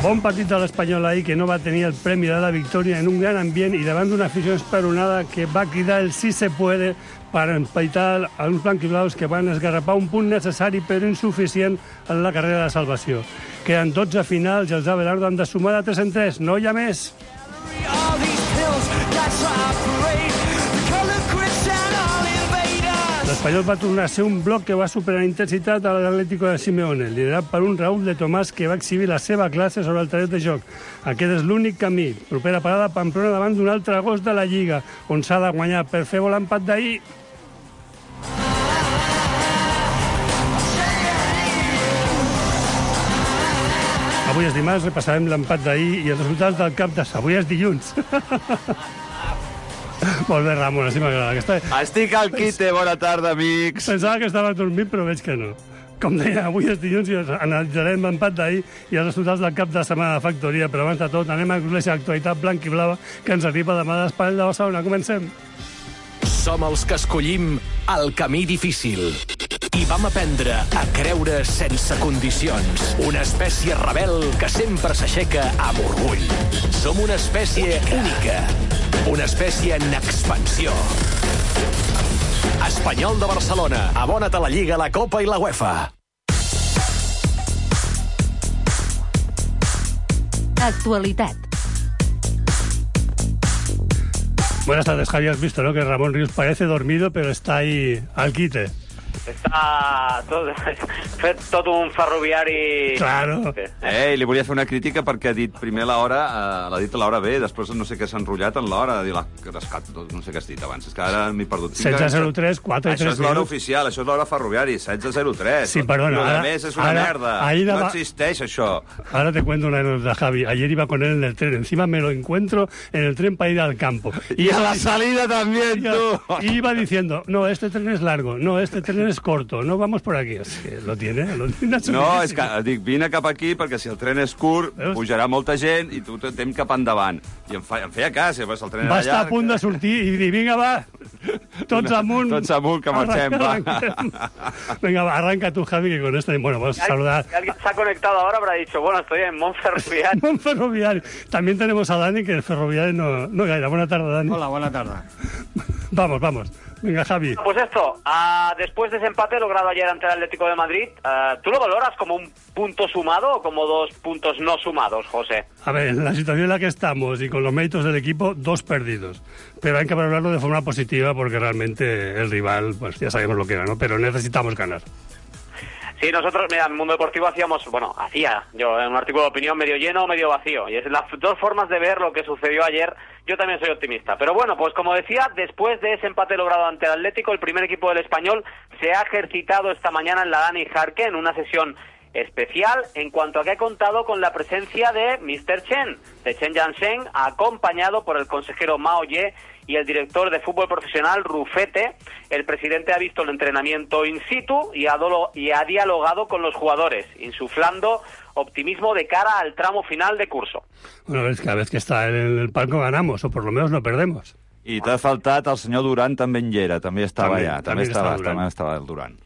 Bon partit de l'Espanyol ahir, que no va tenir el premi de la victòria en un gran ambient i davant d'una afició esperonada que va cridar el sí se puede per empaitar a uns blanquiblaus que van esgarrapar un punt necessari però insuficient en la carrera de salvació. Queden 12 finals i els Abelardo han de sumar de 3 en 3. No hi ha més. L'Espanyol va tornar a ser un bloc que va superar en intensitat a l'Atlético de Simeone, liderat per un Raúl de Tomàs que va exhibir la seva classe sobre el terreny de joc. Aquest és l'únic camí. Propera parada Pamplona davant d'un altre gos de la Lliga, on s'ha de guanyar per fer volar l'empat d'ahir. Avui és dimarts, repassarem l'empat d'ahir i els resultats del cap de... Avui és dilluns. Molt bé, Ramon, així m'agrada. Estic al quite, bona tarda, amics. Pensava que estava dormint, però veig que no. Com deia, avui és dilluns i analitzarem l'empat d'ahir i els resultats del cap de setmana de Factoria, però abans de tot anem a conèixer l'actualitat blanc i blava que ens arriba demà d'Espanya de Barcelona. Comencem. Som els que escollim el camí difícil i vam aprendre a creure sense condicions. Una espècie rebel que sempre s'aixeca amb orgull. Som una espècie única. Una espècie en expansió. Espanyol de Barcelona. Abona't a la Lliga, la Copa i la UEFA. Actualitat. Buenas tardes, Javi. Has visto, ¿no? Que Ramón Ríos parece dormido, pero está ahí al quite. Està fet tot un ferroviari... Claro. Li volia fer una crítica perquè ha dit primer l'hora, l'ha dit a l'hora B, després no sé què s'ha enrotllat en l'hora, no sé què has dit abans, és que ara m'he perdut. 16:03, 4 i 3 Això és l'hora oficial, això és l'hora ferroviari, 16:03. Sí, perdona. Lo demés és una merda, no existeix això. Ahora te cuento una anécdota, Javi. Ayer iba con él en el tren, encima me lo encuentro en el tren para ir al campo. Y a la salida también, tú. Y iba diciendo, no, este tren es largo, no, este tren es corto, no vamos por aquí. Es que lo tiene No, és que dic, vine cap aquí perquè si el tren és curt, pujarà molta gent i tu t'hem cap endavant. I em feia cas, el tren era llarg. Va estar a punt de sortir i dir, vinga, va, tots amunt. Tots amunt, que marxem, va. Venga, va, arranca tú, Javi, que con esto... Bueno, vamos a saludar. Alguien se ha conectado ahora, habrá dicho, bueno, estoy en Montferroviari. Montferroviari. También tenemos a Dani, que el ferroviario no gaira. Buena tarde, Dani. Hola, buena tarde. Vamos. Venga, Javi. Pues esto, después de ese empate logrado ayer ante el Atlético de Madrid, ¿tú lo valoras como un punto sumado o como 2 puntos no sumados, José? A ver, en la situación en la que estamos y con los méritos del equipo, 2 perdidos. Pero hay que valorarlo de forma positiva porque realmente el rival, pues ya sabemos lo que era, ¿no? Pero necesitamos ganar. Sí, nosotros, mira, en Mundo Deportivo hacía yo en un artículo de opinión medio lleno o medio vacío. Y es las 2 formas de ver lo que sucedió ayer. Yo también soy optimista. Pero bueno, pues como decía, después de ese empate logrado ante el Atlético, el primer equipo del Español se ha ejercitado esta mañana en la Dani Jarque en una sesión especial en cuanto a que ha contado con la presencia de Mr. Chen, de Chen Jiansheng, acompañado por el consejero Mao Ye y el director de fútbol profesional Rufete. El presidente ha visto el entrenamiento in situ y ha dialogado con los jugadores, insuflando optimismo de cara al tramo final de curso. Bueno, cada vez que está en el palco ganamos, o por lo menos no perdemos. I t'ha faltat el senyor Duran, també en era, també estava allà, també estava el Duran.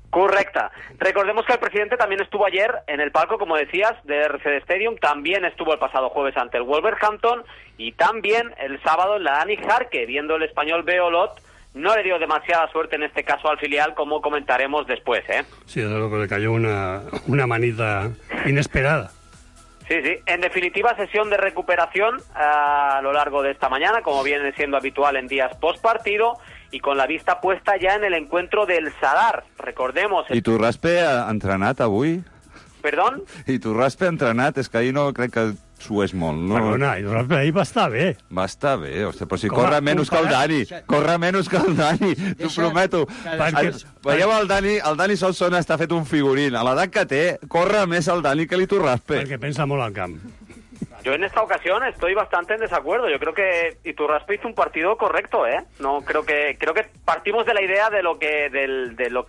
Correcta. Recordemos que el presidente también estuvo ayer en el palco, como decías, de RCD Stadium, también estuvo el pasado jueves ante el Wolverhampton y también el sábado en la Dani Jarque, viendo el Español B. Olot. No le dio demasiada suerte en este caso al filial, como comentaremos después, ¿eh? Sí, desde luego le cayó una manita inesperada. Sí. En definitiva, sesión de recuperación a lo largo de esta mañana, como viene siendo habitual en días post partido, y con la vista puesta ya en el encuentro del Sadar. Recordemos... I Turraspe ha entrenat avui? Perdón? I Turraspe ha entrenat, és que ahir no crec que s'ho és molt. No? Perdona, i Turraspe ahir va estar bé. Va estar bé, hòstia, però si corre menys que el Dani. Corre menys que el Dani, t'ho prometo. Veieu, el Dani Solsona està fet un figurín. A l'edat que té, corre més el Dani que l'Iturraspe. Perquè pensa molt al camp. Yo en esta ocasión estoy bastante en desacuerdo. Yo creo que Iturraspe hizo un partido correcto, ¿eh? No creo que partimos de la idea de lo que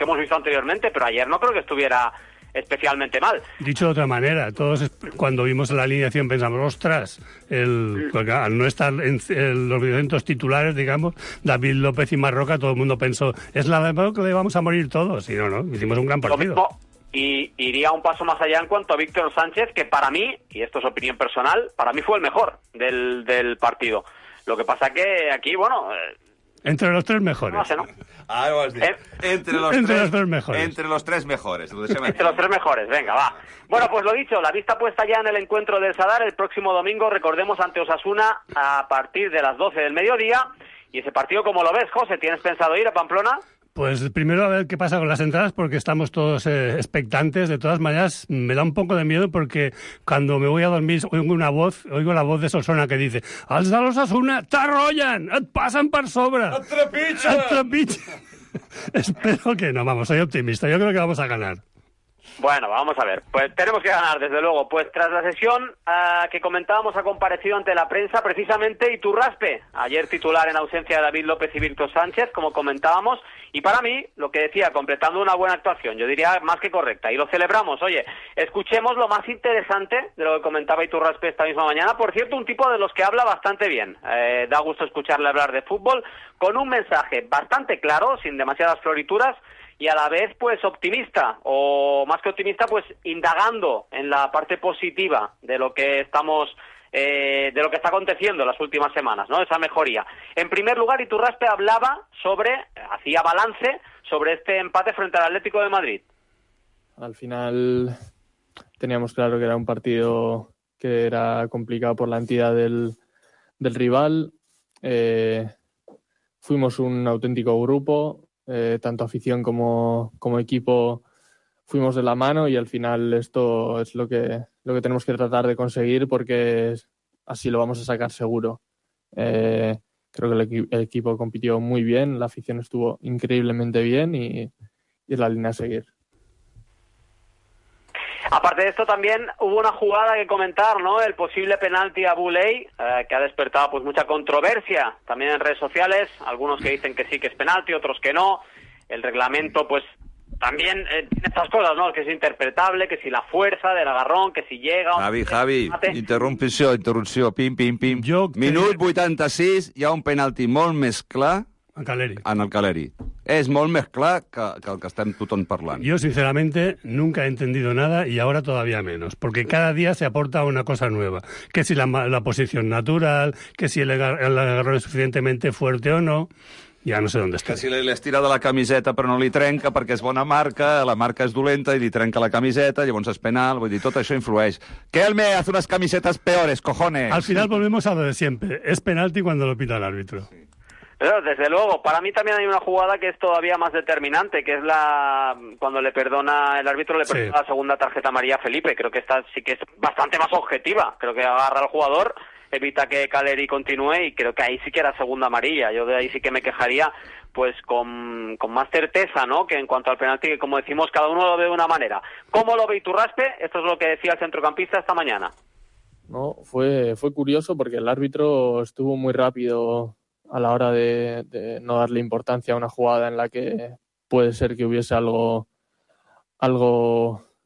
hemos visto anteriormente, pero ayer no creo que estuviera especialmente mal. Dicho de otra manera, todos cuando vimos la alineación pensamos, ostras, al no estar en los eventos titulares, digamos, David López y Marroca, todo el mundo pensó, es la verdad que le vamos a morir todos. Y no, hicimos un gran partido. y iría un paso más allá en cuanto a Víctor Sánchez, que para mí, y esto es opinión personal, para mí fue el mejor del partido. Lo que pasa que aquí, bueno... entre los tres mejores. No sé, ¿no? Ah, ho has dit. Entre los tres mejores. Entre los tres mejores. Entre los tres mejores, venga, va. Bueno, pues lo dicho, la vista puesta ya en el encuentro del Sadar el próximo domingo, recordemos, ante Osasuna a partir de las 12 del mediodía. Y ese partido, ¿cómo lo ves, José? ¿Tienes pensado ir a Pamplona? Pues primero a ver qué pasa con las entradas, porque estamos todos expectantes. De todas maneras, me da un poco de miedo porque cuando me voy a dormir oigo la voz de Solsona que dice: els de l'Osasuna t'arrollen, et passen per sobre. Et trepitgen. Espero que no, vamos, soy optimista. Yo creo que vamos a ganar. Bueno, vamos a ver. Pues tenemos que ganar, desde luego. Pues tras la sesión que comentábamos, ha comparecido ante la prensa precisamente Iturraspe. Ayer titular en ausencia de David López y Víctor Sánchez, como comentábamos. Y para mí, lo que decía, completando una buena actuación, yo diría más que correcta. Y lo celebramos. Oye, escuchemos lo más interesante de lo que comentaba Iturraspe esta misma mañana. Por cierto, un tipo de los que habla bastante bien. Da gusto escucharle hablar de fútbol, con un mensaje bastante claro, sin demasiadas florituras, y a la vez, pues, optimista, o más que optimista, pues, indagando en la parte positiva de lo que estamos, de lo que está aconteciendo en las últimas semanas, ¿no? Esa mejoría. En primer lugar, Iturraspe hacía balance sobre este empate frente al Atlético de Madrid. Al final teníamos claro que era un partido que era complicado por la entidad del rival. Fuimos un auténtico grupo. Tanto afición como equipo fuimos de la mano y al final esto es lo que tenemos que tratar de conseguir, porque así lo vamos a sacar seguro. Creo que el equipo compitió muy bien, la afición estuvo increíblemente bien y es la línea a seguir. Aparte de esto, también hubo una jugada que comentar, ¿no? El posible penalti a Boulay, que ha despertado pues mucha controversia también en redes sociales. Algunos que dicen que sí que es penalti, otros que no. El reglamento, pues, también tiene estas cosas, ¿no? Que es interpretable, que si la fuerza del agarrón, que si llega... Javi, interrupció, pim. Minut 86, hi ha un penalti molt més clar en el Caleri. Es molt més clar que el que estem tothom parlant. Yo, sinceramente, nunca he entendido nada y ahora todavía menos, porque cada día se aporta una cosa nueva. Que si la posición natural, que si el agarrón es suficientemente fuerte o no, ja no sé on està. Que si li estira de la camiseta però no li trenca perquè és bona marca, la marca és dolenta i li trenca la camiseta, llavors és penal, vull dir, tot això influeix. Que él me hace unas camisetas peores, cojones. Al final volvemos a lo de siempre. Es penalti cuando lo pita el árbitro. Pero, desde luego, para mí también hay una jugada que es todavía más determinante, que es cuando el árbitro le perdona la segunda tarjeta amarilla a Felipe. Creo que esta sí que es bastante más objetiva. Creo que agarra al jugador, evita que Caleri continúe y creo que ahí sí que era segunda amarilla. Yo de ahí sí que me quejaría pues con más certeza, ¿no? Que en cuanto al penalti, que como decimos, cada uno lo ve de una manera. ¿Cómo lo ve Iturraspe? Esto es lo que decía el centrocampista esta mañana. No, fue curioso porque el árbitro estuvo muy rápido a la hora de no darle importancia a una jugada en la que puede ser que hubiese algo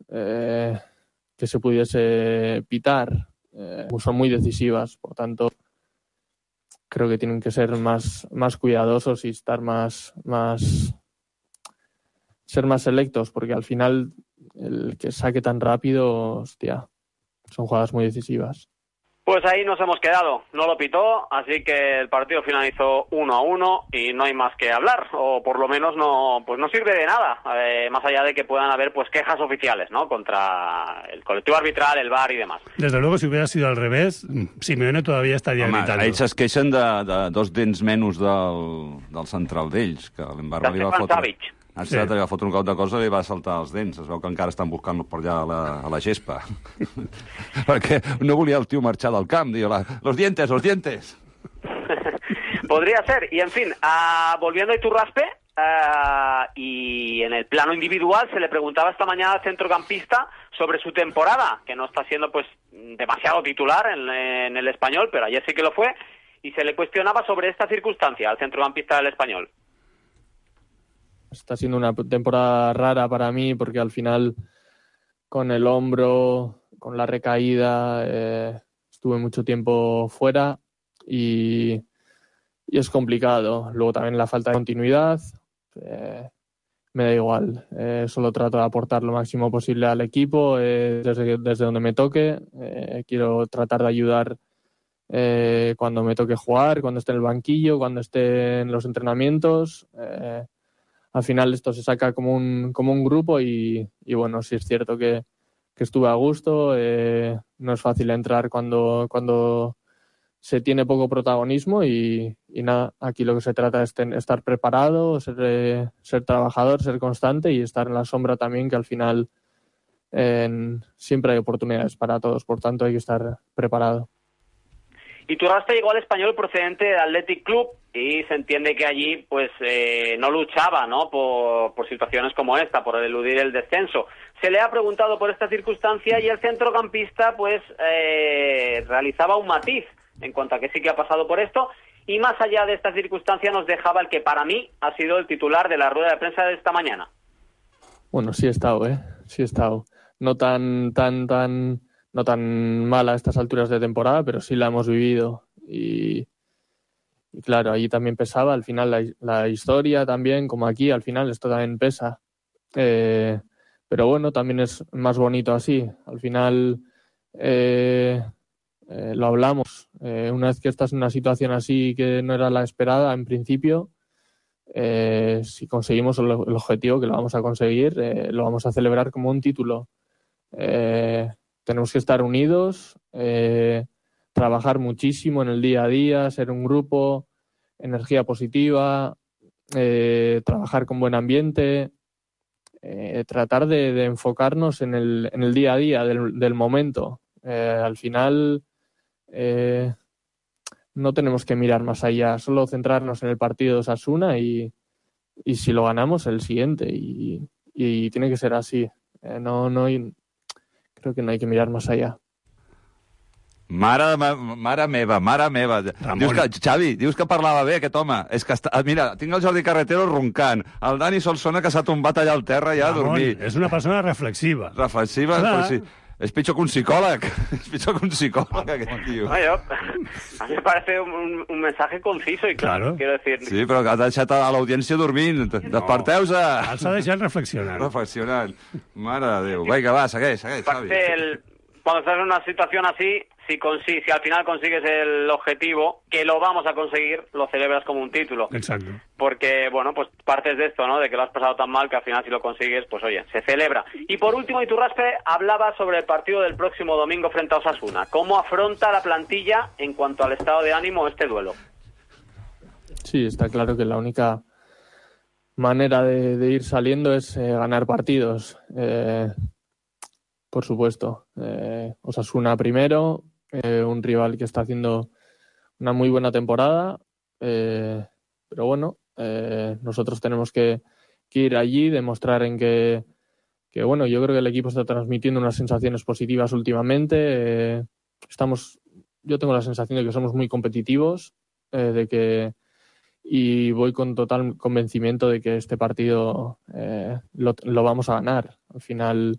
que se pudiese pitar. Son muy decisivas, por tanto creo que tienen que ser más cuidadosos y estar ser más selectos, porque al final el que saque tan rápido, hostia, son jugadas muy decisivas. Pues ahí nos hemos quedado, no lo pitó, así que el partido finalizó 1-1 y no hay más que hablar, o por lo menos no sirve de nada, más allá de que puedan haber pues quejas oficiales, ¿no? Contra el colectivo arbitral, el VAR y demás. Desde luego, si hubiera sido al revés, Simeone todavía estaría gritando. Ells es queixen de dos dents menys del central d'ells, que l'Embarra li va fotre... Exacte, li va fotre un cop de cosa i li va saltar els dents. Es veu que encara estan buscant per allà a la gespa. Perquè no volia el tio marxar del camp. Diu, los dientes. Podría ser. Y, en fin, volviendo a Iturraspe, y en el plano individual se le preguntaba esta mañana al centrocampista sobre su temporada, que no está siendo pues demasiado titular en el Español, pero ayer sí que lo fue, y se le cuestionaba sobre esta circunstancia al centrocampista del Español. Está siendo una temporada rara para mí porque al final con el hombro, con la recaída, estuve mucho tiempo fuera y es complicado. Luego también la falta de continuidad. me da igual. Solo trato de aportar lo máximo posible al equipo desde donde me toque. Quiero tratar de ayudar cuando me toque jugar, cuando esté en el banquillo, cuando esté en los entrenamientos. Al final esto se saca como un grupo y bueno, sí es cierto que estuve a gusto. No es fácil entrar cuando se tiene poco protagonismo y nada, aquí lo que se trata es estar preparado, ser trabajador, ser constante y estar en la sombra también, que al final siempre hay oportunidades para todos, por tanto hay que estar preparado. Iturraspe llegó al Español procedente del Athletic Club y se entiende que allí pues no luchaba, ¿no?, por situaciones como esta, por eludir el descenso. Se le ha preguntado por esta circunstancia y el centrocampista pues realizaba un matiz en cuanto a que sí que ha pasado por esto, y más allá de esta circunstancia nos dejaba el que para mí ha sido el titular de la rueda de prensa de esta mañana. Bueno, sí he estado, sí he estado. No tan mala a estas alturas de temporada, pero sí la hemos vivido y claro, allí también pesaba, al final la historia también, como aquí, al final esto también pesa. Pero bueno, también es más bonito así. Al final lo hablamos. Una vez que estás en una situación así que no era la esperada en principio, si conseguimos el objetivo, que lo vamos a conseguir, lo vamos a celebrar como un título. Tenemos que estar unidos, trabajar muchísimo en el día a día, ser un grupo, energía positiva, trabajar con buen ambiente, tratar de enfocarnos en el día a día del momento. Al final no tenemos que mirar más allá, solo centrarnos en el partido de Osasuna y si lo ganamos, el siguiente. Y tiene que ser así. Creo que no hay que mirar más allá. Mare meva. Xavi, dius que parlava bé aquest home. És que mira, tinc el Jordi Carretero roncant. El Dani Solsona que s'ha tombat allà al terra ja a dormir. És una persona reflexiva. Reflexiva, però sí. Es pitjor que un psicòleg. Aquest tio. A mí me parece un mensaje conciso y claro, quiero decir. Sí, però ha deixat a l'audiència dormint. Desperteu-se. Els ha deixat reflexionant. Mare de Déu. Vinga, va, segueix, Xavi. Cuando estás en una situación así, si al final consigues el objetivo, que lo vamos a conseguir, lo celebras como un título. Exacto. Porque, bueno, pues partes de esto, ¿no?, de que lo has pasado tan mal que al final si lo consigues, pues oye, se celebra. Y por último, Iturraspe hablaba sobre el partido del próximo domingo frente a Osasuna. ¿Cómo afronta la plantilla en cuanto al estado de ánimo este duelo? Sí, está claro que la única manera de ir saliendo es ganar partidos. Por supuesto. Osasuna primero, un rival que está haciendo una muy buena temporada, pero bueno, nosotros tenemos que ir allí, demostrar en que bueno, yo creo que el equipo está transmitiendo unas sensaciones positivas últimamente. Yo tengo la sensación de que somos muy competitivos, y voy con total convencimiento de que este partido lo vamos a ganar. Al final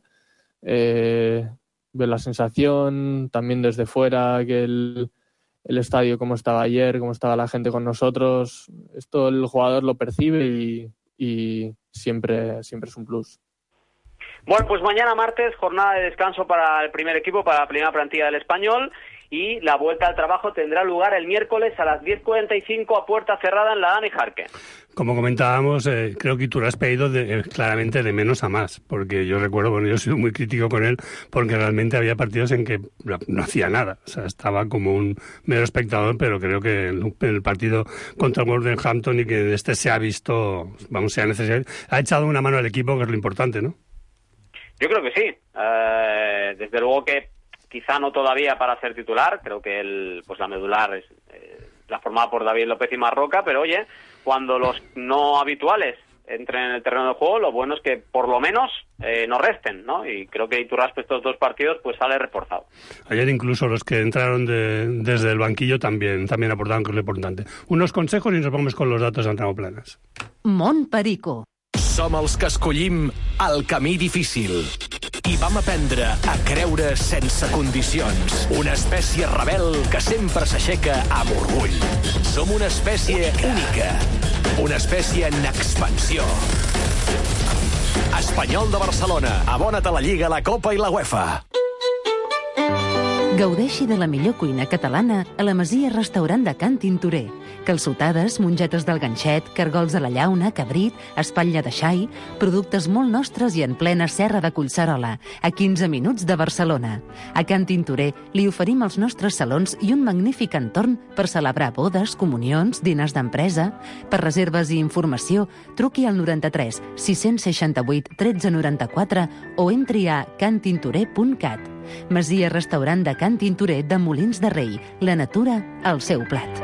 ver la sensación también desde fuera, que el estadio como estaba ayer, cómo estaba la gente con nosotros, esto el jugador lo percibe y siempre es un plus. Bueno, pues mañana martes, jornada de descanso para el primer equipo, para la primera plantilla del Español, y la vuelta al trabajo tendrá lugar el miércoles a las 10:45 a puerta cerrada en la Dani Jarque. Como comentábamos, creo que Iturraspe ha ido claramente de menos a más, porque yo recuerdo, yo he sido muy crítico con él, porque realmente había partidos en que no hacía nada, o sea, estaba como un mero espectador, pero creo que en el partido contra el Wolverhampton y que este se ha visto, se ha necesitado, ha echado una mano al equipo, que es lo importante, ¿no? Yo creo que sí, desde luego que quizá no todavía para ser titular, creo que la medular es la formada por David López y Marroca, pero oye, cuando los no habituales entren en el terreno de juego, lo bueno es que por lo menos no resten, ¿no? Y creo que Iturraspe estos dos partidos pues sale reforzado. Ayer incluso los que entraron desde el banquillo también aportaron, que es lo importante. Unos consejos y nos vamos con los datos d'Entramo Planes. Mont Perico. Som els que escollim el camí difícil. I vam aprendre a creure sense condicions. Una espècie rebel que sempre s'aixeca amb orgull. Som una espècie única. Una espècie en expansió. l'Espanyol de Barcelona. Abona't a la Lliga, la Copa i la UEFA. Gaudeixi de la millor cuina catalana a la Masia Restaurant de Can Tintorer. Calçotades, mongetes del ganxet, cargols de la llauna, cabrit, espatlla de xai, productes molt nostres i en plena serra de Collserola, a 15 minuts de Barcelona. A Can Tintorer li oferim els nostres salons i un magnífic entorn per celebrar bodes, comunions, diners d'empresa. Per reserves i informació, truqui al 93 668 1394 o entri a cantintorer.cat. Masia Restaurant de Can Tintorer de Molins de Rei. La natura al seu plat.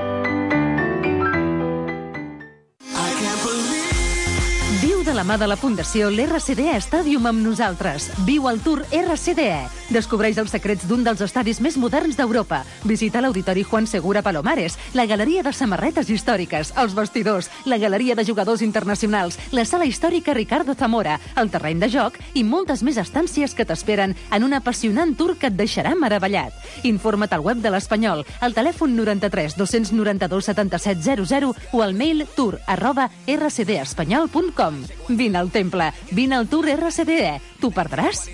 Viu de la mà de la Fundació l'RCDE Stadium amb nosaltres. Viu el Tour RCDE. Descobreix els secrets d'un dels estadis més moderns d'Europa. Visita l'Auditori Juan Segura Palomares, la Galeria de Samarretes Històriques, els vestidors, la Galeria de Jugadors Internacionals, la Sala Històrica Ricardo Zamora, el terreny de joc i moltes més estàncies que t'esperen en un apassionant tour que et deixarà meravellat. Informa't al web de l'Espanyol, al telèfon 93 292 77 00 o al mail tour@rcdespanyol.com. Vine al temple, vine al Tour RCDE. T'ho perdràs?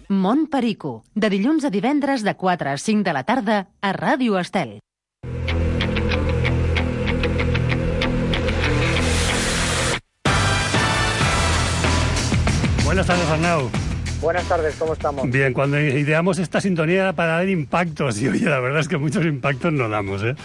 Mont Perico, de dilluns a divendres de 4 a 5 de la tarda a Ràdio Estel. Buenas tardes, Arnau. Buenas tardes, ¿cómo estamos? Bien, cuando ideamos esta sintonía era para dar impactos, y oye, la verdad es que muchos impactos no damos, ¿eh?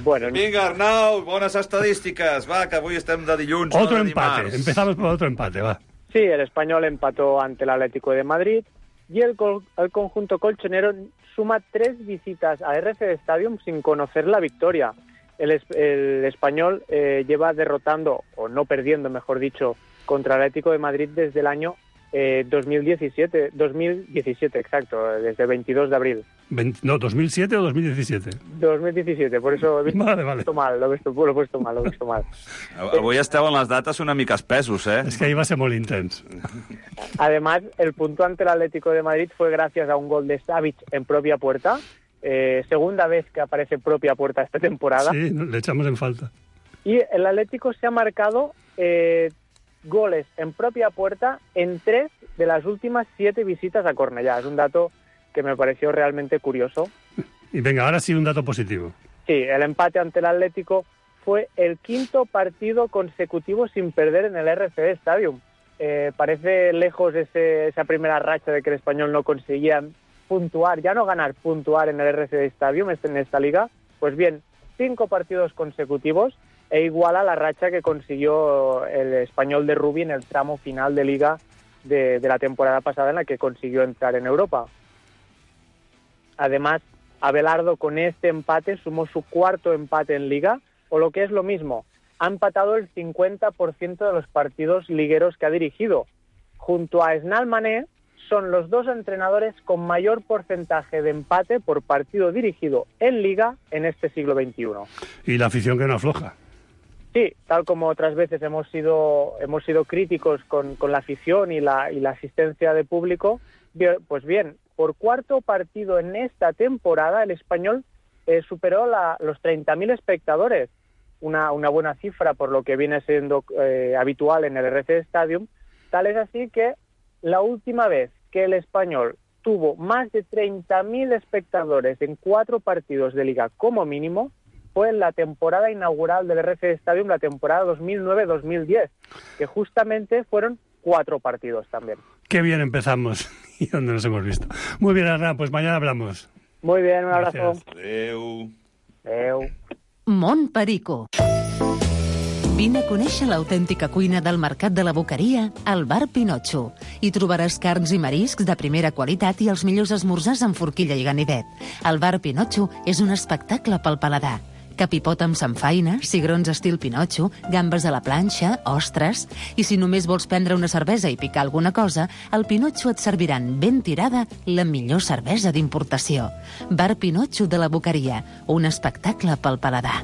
Bueno, Vinga, Arnau, bones estadístiques. Va, que avui estem de dilluns. Otro no de empate. dimarts. Empezamos por otro empate, va. sí, el Español empató ante el Atlético de Madrid y el conjunto colchonero suma 3 visitas a RCD Stadium sin conocer la victoria. El Español lleva derrotando, o no perdiendo, mejor dicho, contra el Atlético de Madrid desde el año 2017, exacto, desde el 22 de abril. No, 2007 o 2017? 2017, por eso he visto mal, lo he puesto mal. Avui esteu en les dates una mica espesos, eh? Es que ahí va a ser muy intenso. Además, el punto ante el Atlético de Madrid fue gracias a un gol de Savic en propia puerta. Segunda vez que aparece propia puerta esta temporada. Sí, le echamos en falta. Y el Atlético se ha marcado goles en propia puerta en 3 de las últimas 7 visitas a Cornellá. Es un dato que me pareció realmente curioso. Y venga, ahora sí un dato positivo. Sí, el empate ante el Atlético fue el 5º partido consecutivo sin perder en el RCD Stadium. Parece lejos esa primera racha de que el Español no conseguía puntuar, ya no ganar, puntuar en el RCD Stadium en esta liga. Pues bien, 5 partidos consecutivos e iguala la racha que consiguió el Español de Rubí en el tramo final de liga de la temporada pasada, en la que consiguió entrar en Europa. Además, Abelardo con este empate sumó su 4º empate en liga, o lo que es lo mismo, ha empatado el 50% de los partidos ligueros que ha dirigido. Junto a Esnal Mané, son los 2 entrenadores con mayor porcentaje de empate por partido dirigido en liga en este siglo XXI. Y la afición que no afloja. Sí, tal como otras veces hemos sido críticos con la afición y la asistencia de público, pues bien, por 4º partido en esta temporada el Español superó los 30.000 espectadores, una buena cifra por lo que viene siendo habitual en el RCD Stadium. Tal es así que la última vez que el Español tuvo más de 30.000 espectadores en 4 partidos de liga como mínimo fue en la temporada inaugural del RCD Stadium, la temporada 2009-2010, que justamente fueron 4 partidos también. Qué bien empezamos y dónde nos hemos visto. Muy bien, Arnau, pues mañana hablamos. Muy bien, un abrazo. Adéu. Adéu. Mont Perico. Vine a conèixer l'autèntica cuina del Mercat de la Boqueria al Bar Pinotxo. Hi trobaràs carns i mariscs de primera qualitat i els millors esmorzars amb forquilla i ganivet. El Bar Pinotxo és un espectacle pel paladar. Capipot amb samfaina, cigrons estil Pinotxo, gambes a la planxa, ostres... I si només vols prendre una cervesa i picar alguna cosa, al Pinotxo et serviran ben tirada la millor cervesa d'importació. Bar Pinotxo de la Boqueria, un espectacle pel paladar.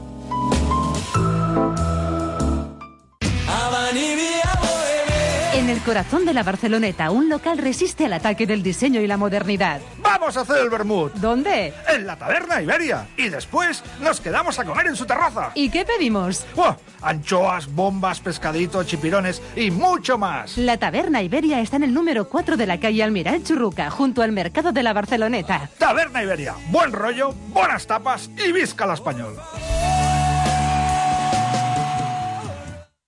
En el corazón de la Barceloneta, un local resiste al ataque del diseño y la modernidad. ¡Vamos a hacer el vermut! ¿Dónde? En la Taberna Iberia. Y después nos quedamos a comer en su terraza. ¿Y qué pedimos? ¡Buah! Anchoas, bombas, pescaditos, chipirones y mucho más. La Taberna Iberia está en el número 4 de la calle Almiral Churruca, junto al mercado de la Barceloneta. Taberna Iberia. Buen rollo, buenas tapas i visca l'Espanyol.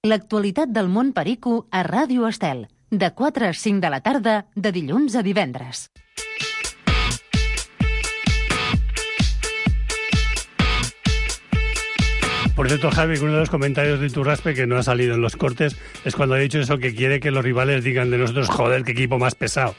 L'actualitat del món perico a Ràdio Estel, de 4 a 5 de la tarda, de dilluns a divendres. Por cierto, Javi, uno de los comentarios de Iturraspe que no ha salido en los cortes es cuando ha dicho eso, que quiere que los rivales digan de nosotros, joder, qué equipo más pesado.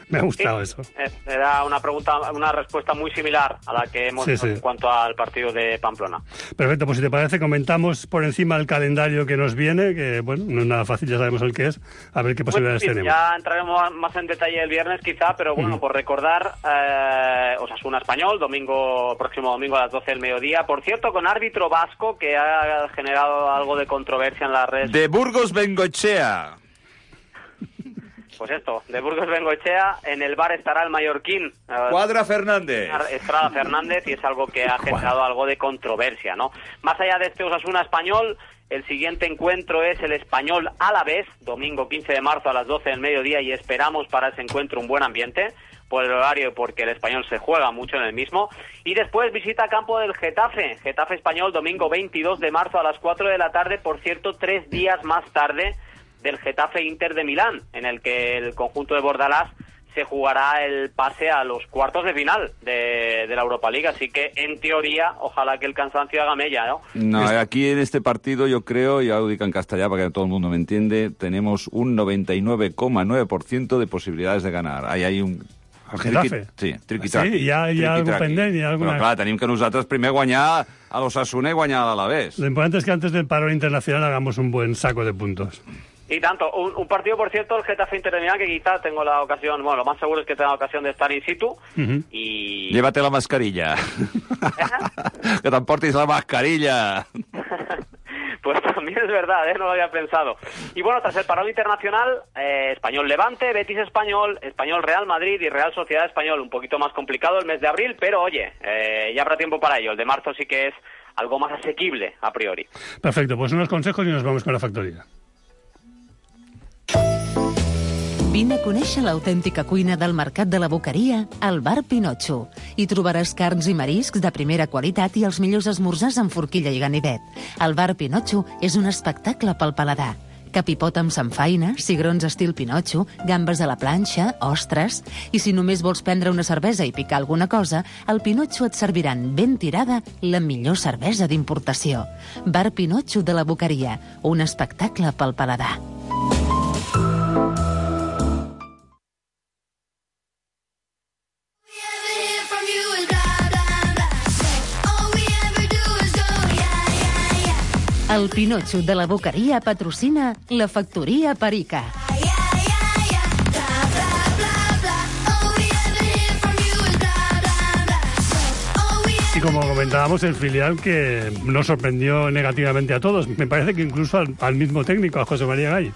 Me ha gustado eso. Era una respuesta muy similar a la que hemos hecho en cuanto al partido de Pamplona. Perfecto, pues si te parece, comentamos por encima el calendario que nos viene, que bueno, no es nada fácil, ya sabemos el que es, a ver qué posibilidades tenemos. Ya entraremos más en detalle el viernes quizá, pero bueno, por recordar, Osasuna Español, próximo domingo a las 12 del mediodía, por cierto, con árbitro vasco que ha generado algo de controversia en las redes. De Burgos Bengoechea. Pues esto, de Burgos Bengoechea, en el bar estará el mallorquín. Cuadra Fernández. Estrada Fernández, y es algo que ha generado algo de controversia, ¿no? Más allá de este Osasuna Español, el siguiente encuentro es el Español Alavés, domingo 15 de marzo a las 12 del mediodía, y esperamos para ese encuentro un buen ambiente, por el horario, porque el Español se juega mucho en el mismo. Y después visita a campo del Getafe Español, domingo 22 de marzo a las 4 de la tarde, por cierto, 3 días más tarde del Getafe Inter de Milán, en el que el conjunto de Bordalás se jugará el pase a los cuartos de final de la Europa League, así que en teoría ojalá que el cansancio haga mella, ¿no? No, aquí en este partido yo creo, ya lo digo en castellano para que todo el mundo me entiende, tenemos un 99,9% de posibilidades de ganar. Ahí hay un... El Getafe? Sí, triqui-traqui. Sí, hi ha algun pendent, hi ha alguna... Però clar, tenim que nosaltres primer guanyar a l'Osasuna y guanyar a l'Alavés. Lo importante es que antes del parón internacional hagamos un buen saco de puntos. Y tanto, un partido, por cierto, el Getafe Inter de Milán, que quizá tengo la ocasión, bueno, lo más seguro es que tenga la ocasión de estar in situ, y... Llévate la mascarilla. Que t'emportis la mascarilla. Pues también es verdad, no lo había pensado. Y bueno, tras el parón internacional, Español Levante, Betis Español, Español Real Madrid y Real Sociedad Español. Un poquito más complicado el mes de abril, pero oye, ya habrá tiempo para ello. El de marzo sí que es algo más asequible a priori. Perfecto, pues unos consejos y nos vamos con la factoría. Vine a conèixer l'autèntica cuina del Mercat de la Boqueria al Bar Pinotxo. Hi trobaràs carns i mariscs de primera qualitat i els millors esmorzars amb forquilla i ganivet. El Bar Pinotxo és un espectacle pel paladar. Capipot amb samfaina, cigrons estil Pinotxo, gambes a la planxa, ostres... I si només vols prendre una cervesa i picar alguna cosa, al Pinotxo et serviran ben tirada la millor cervesa d'importació. Bar Pinotxo de la Boqueria, un espectacle pel paladar. El Pinotxo de la Boqueria patrocina la Factoria Perica. Y como comentábamos, el filial que nos sorprendió negativamente a todos. Me parece que incluso al mismo técnico, a José María Gay.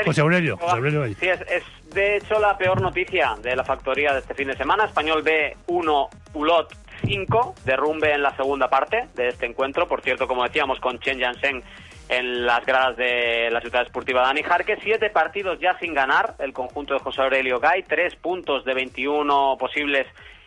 José Aurelio Gay. Sí, es de hecho la peor noticia de la Factoría de este fin de semana. Español B1, Ulot 5, derrumbe en la segunda parte de este encuentro. Por cierto, como decíamos, con Chen Yansheng en las gradas de la Ciudad Esportiva Dani Jarque. 7 partidos ya sin ganar el conjunto de José Aurelio Gay, 3 puntos de 21 posibles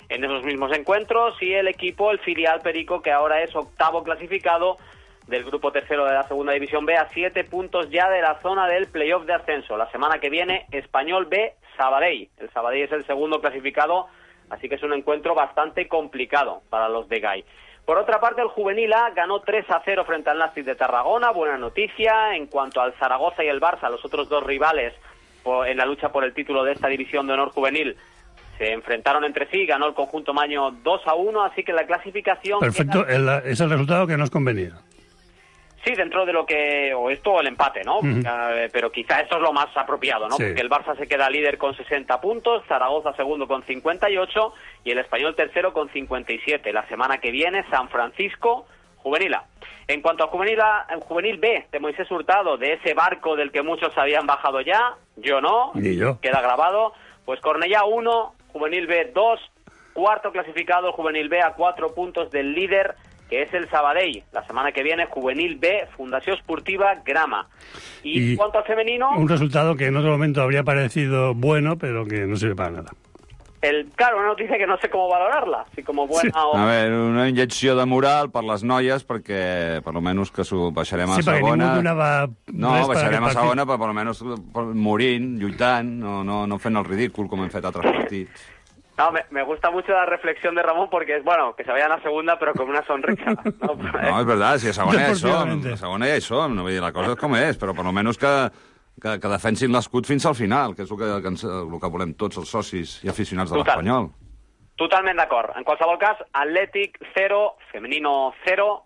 en esos mismos encuentros, y el equipo, el filial Perico, que ahora es octavo clasificado del grupo tercero de la segunda división B, a 7 puntos ya de la zona del playoff de ascenso. La semana que viene, Español B, Sabadell. El Sabadell es el segundo clasificado, así que es un encuentro bastante complicado para los de Gay. Por otra parte, el Juvenil A ganó 3-0 frente al Nàstic de Tarragona. Buena noticia. En cuanto al Zaragoza y el Barça, los otros dos rivales en la lucha por el título de esta división de honor juvenil, se enfrentaron entre sí, ganó el conjunto maño 2-1, así que la clasificación... Perfecto, es el resultado que nos convenía. Sí, dentro de lo que... o esto o el empate, ¿no? Pero quizá esto es lo más apropiado, ¿no? Sí. Porque el Barça se queda líder con 60 puntos, Zaragoza segundo con 58 y el Español tercero con 57. La semana que viene, San Francisco, Juvenil A. En cuanto al juvenil B de Moisés Hurtado, de ese barco del que muchos habían bajado ya, yo no, ni yo. Queda grabado, pues Cornellá 1, juvenil B 2, cuarto clasificado el juvenil B a 4 puntos del líder, que es el Sabadell. La semana que viene, juvenil B, Fundació Esportiva Grama. Y en cuanto al femenino... Un resultado que en otro momento habría parecido bueno, pero que no sirve para nada. Claro, una notícia que no sé com valorarla, si com buena o... A veure, una injecció de moral per les noies, perquè per almenys que baixarem a segona... Sí, perquè ningú donava... No, baixarem a segona, però per almenys morint, lluitant, no fent el ridícul com hem fet altres partits. No, me gusta mucho la reflexión de Ramón porque es bueno que se vayan a segunda pero con una sonrisa. No, és verdad, si a segona ja hi som, no vull dir, la cosa és com és, però per almenys que defensin l'escut fins al final, que és el que volem tots els socis i aficionats de l'Espanyol. Totalment d'acord. En qualsevol cas, Athletic 0, femenino 0,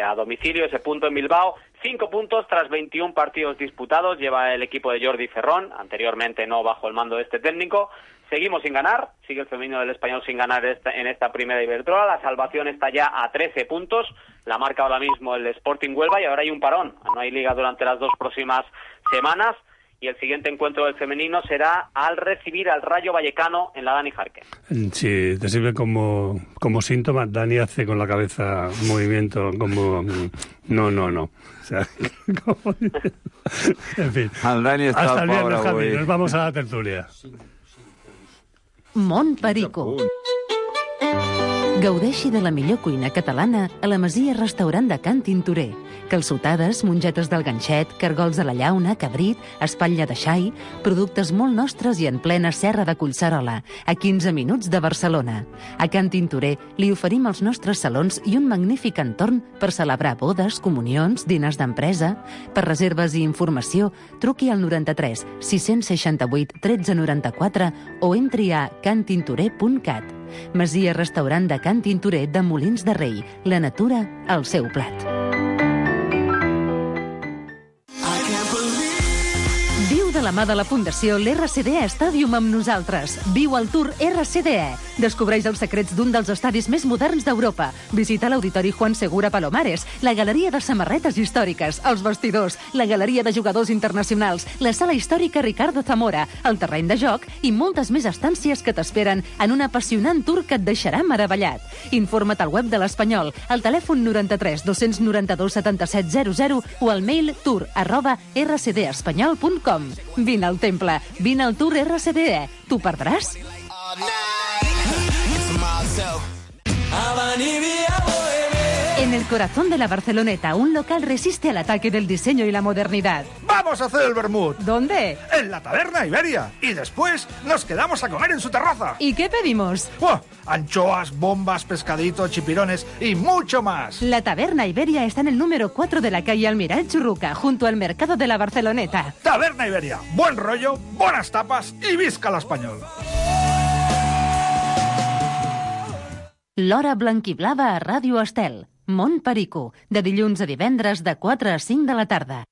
a domicilio ese punto en Bilbao, 5 puntos tras 21 partidos disputados, lleva el equipo de Jordi Ferrón, anteriormente no bajo el mando de este técnico. Seguimos sin ganar, sigue el femenino del Español sin ganar en esta primera Iberdrola, la salvación está ya a 13 puntos, la marca ahora mismo el Sporting Huelva y ahora hay un parón, no hay liga durante las 2 próximas semanas y el siguiente encuentro del femenino será al recibir al Rayo Vallecano en la Dani Jarque. Sí, te sirve como síntoma, Dani hace con la cabeza un movimiento como no. O sea, como... En fin. El Dani està hasta el viernes, pobre Javi, avui. nos vamos a la tertulia. Mont Perico. Gaudeixi de la millor cuina catalana a la Masia Restaurant de Can Tintorer. Calçotades, mongetes del ganxet, cargols de la llauna, cabrit, espatlla de xai, productes molt nostres i en plena serra de Collserola, a 15 minuts de Barcelona. A Can Tintorer li oferim els nostres salons i un magnífic entorn per celebrar bodes, comunions, diners d'empresa. Per reserves i informació, truqui al 93 668 1394 o entri a cantintorer.cat. Masia Restaurant de Can Tintorer de Molins de Rei. La natura al seu plat. Viu de la mà de la Fundació l'RCDE Stadium amb nosaltres. Viu el Tour RCDE. Descobreix els secrets d'un dels estadis més moderns d'Europa. Visita l'Auditori Juan Segura Palomares, la Galeria de Samarretes Històriques, els vestidors, la Galeria de Jugadors Internacionals, la Sala Històrica Ricardo Zamora, el terreny de joc i moltes més estàncies que t'esperen en un apassionant tour que et deixarà meravellat. Informa't al web de l'Espanyol, al telèfon 93 292 7700 o al mail tour@rcdespanyol.com. Vine al temple, vine al Tour RCDE. T'ho perdràs? En el corazón de la Barceloneta, un local resiste al ataque del diseño y la modernidad. ¡Vamos a hacer el vermut! ¿Dónde? En la Taberna Iberia. Y después nos quedamos a comer en su terraza. ¿Y qué pedimos? ¡Buah! Anchoas, bombas, pescaditos, chipirones y mucho más. La Taberna Iberia está en el número 4 de la calle Almiral Churruca, junto al mercado de la Barceloneta. Taberna Iberia. Buen rollo, buenas tapas y visca l'Espanyol. L'Hora Blanquiblava a Ràdio Estel. Mont Perico, de dilluns a divendres de 4 a 5 de la tarda.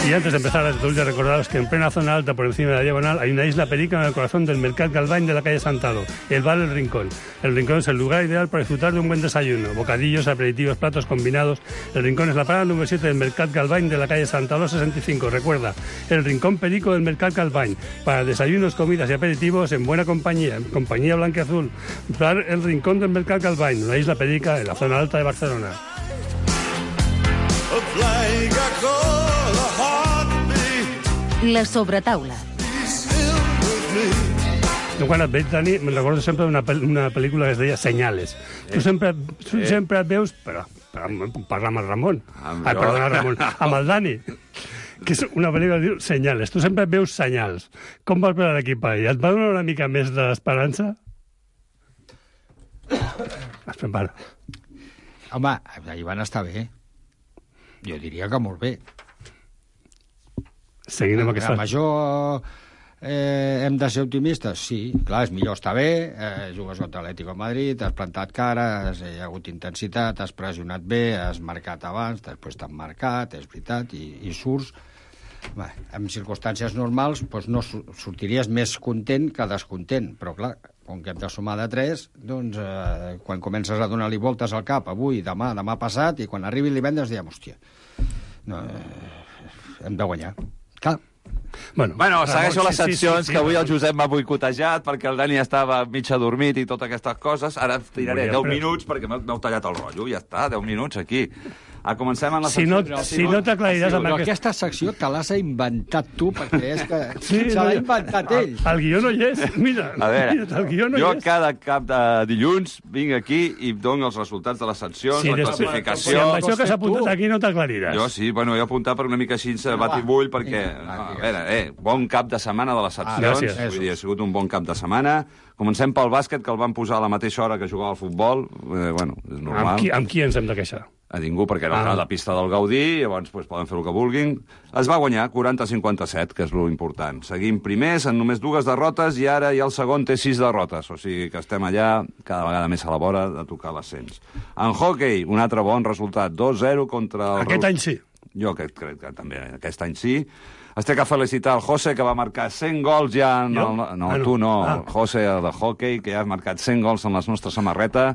Y antes de empezar la tertulia, recordaros que en plena zona alta, por encima de la diagonal, hay una isla perica en el corazón del Mercat Galvany de la calle Santalo, el bar El Rincón. El Rincón es el lugar ideal para disfrutar de un buen desayuno, bocadillos, aperitivos, platos combinados. El Rincón es la parada número 7 del Mercat Galvany de la calle Santalo 65. Recuerda, el Rincón Perico del Mercat Galvany, para desayunos, comidas y aperitivos en buena compañía, en compañía blanquiazul. Bar El Rincón del Mercat Galvany, una isla perica en la zona alta de Barcelona. La sobretaula. Jo quan et veig, Dani, me'n recordo sempre d'una pel·lícula que es deia Senyales. Tu sempre et veus... Però parla amb el Ramon. Perdona, Ramon. Amb el Dani. Que és una pel·lícula que diu Senyales. Tu sempre et veus senyals. Com vas veure l'equip ahir? Et va donar una mica més d'esperança? Es prepara. Home, ahir van estar bé. Jo diria que molt bé. Seguint amb aquesta... Amb això hem de ser optimistes? Sí, clar, és millor estar bé, jugues contra l'Atlético de Madrid, has plantat cara, hi ha hagut intensitat, has pressionat bé, has marcat abans, després t'han marcat, és veritat, i surts en circumstàncies normals doncs no sortiries més content que descontent, però clar, com que hem de sumar de 3, doncs quan comences a donar-li voltes al cap, avui, demà passat, i quan arribi el divendres diem, hòstia, hem de guanyar. Clar. Bueno, segueixo les seccions, que avui el Josep m'ha boicotejat perquè el Dani estava mig adormit i totes aquestes coses. Ara tiraré 10 minuts perquè m'heu tallat el rotllo. Ja està, 10 minuts aquí. Comencem amb la secció. Si no t'aclariràs amb aquesta secció te l'has inventat tu, perquè és que se l'ha inventat ell. El guió no hi és. Mira, a veure, jo cada cap de dilluns vinc aquí i dono els resultats de les seccions, la classificació... Si amb això que s'ha apuntat aquí no t'aclariràs. Jo sí, bueno, he apuntat per una mica així batibull, perquè, a veure, bon cap de setmana de les seccions. Vull dir, ha sigut un bon cap de setmana. Comencem pel bàsquet, que el van posar a la mateixa hora que jugava al futbol. Bueno, és normal. Amb qui ens hem de queixar? A ningú, perquè era la pista del Gaudí, llavors poden fer el que vulguin. Es va guanyar 40-57, que és l'important. Seguim primers, en només 2 derrotes, i ara ja el segon té 6 derrotes. O sigui que estem allà cada vegada més a la vora de tocar l'ascens. En hockey, un altre bon resultat, 2-0 contra el... Aquest any sí. Jo crec que també aquest any sí. Es té que felicitar el José, que va marcar 100 gols ja... Tu no, el José de hockey, que ja ha marcat 100 gols en la nostra samarreta.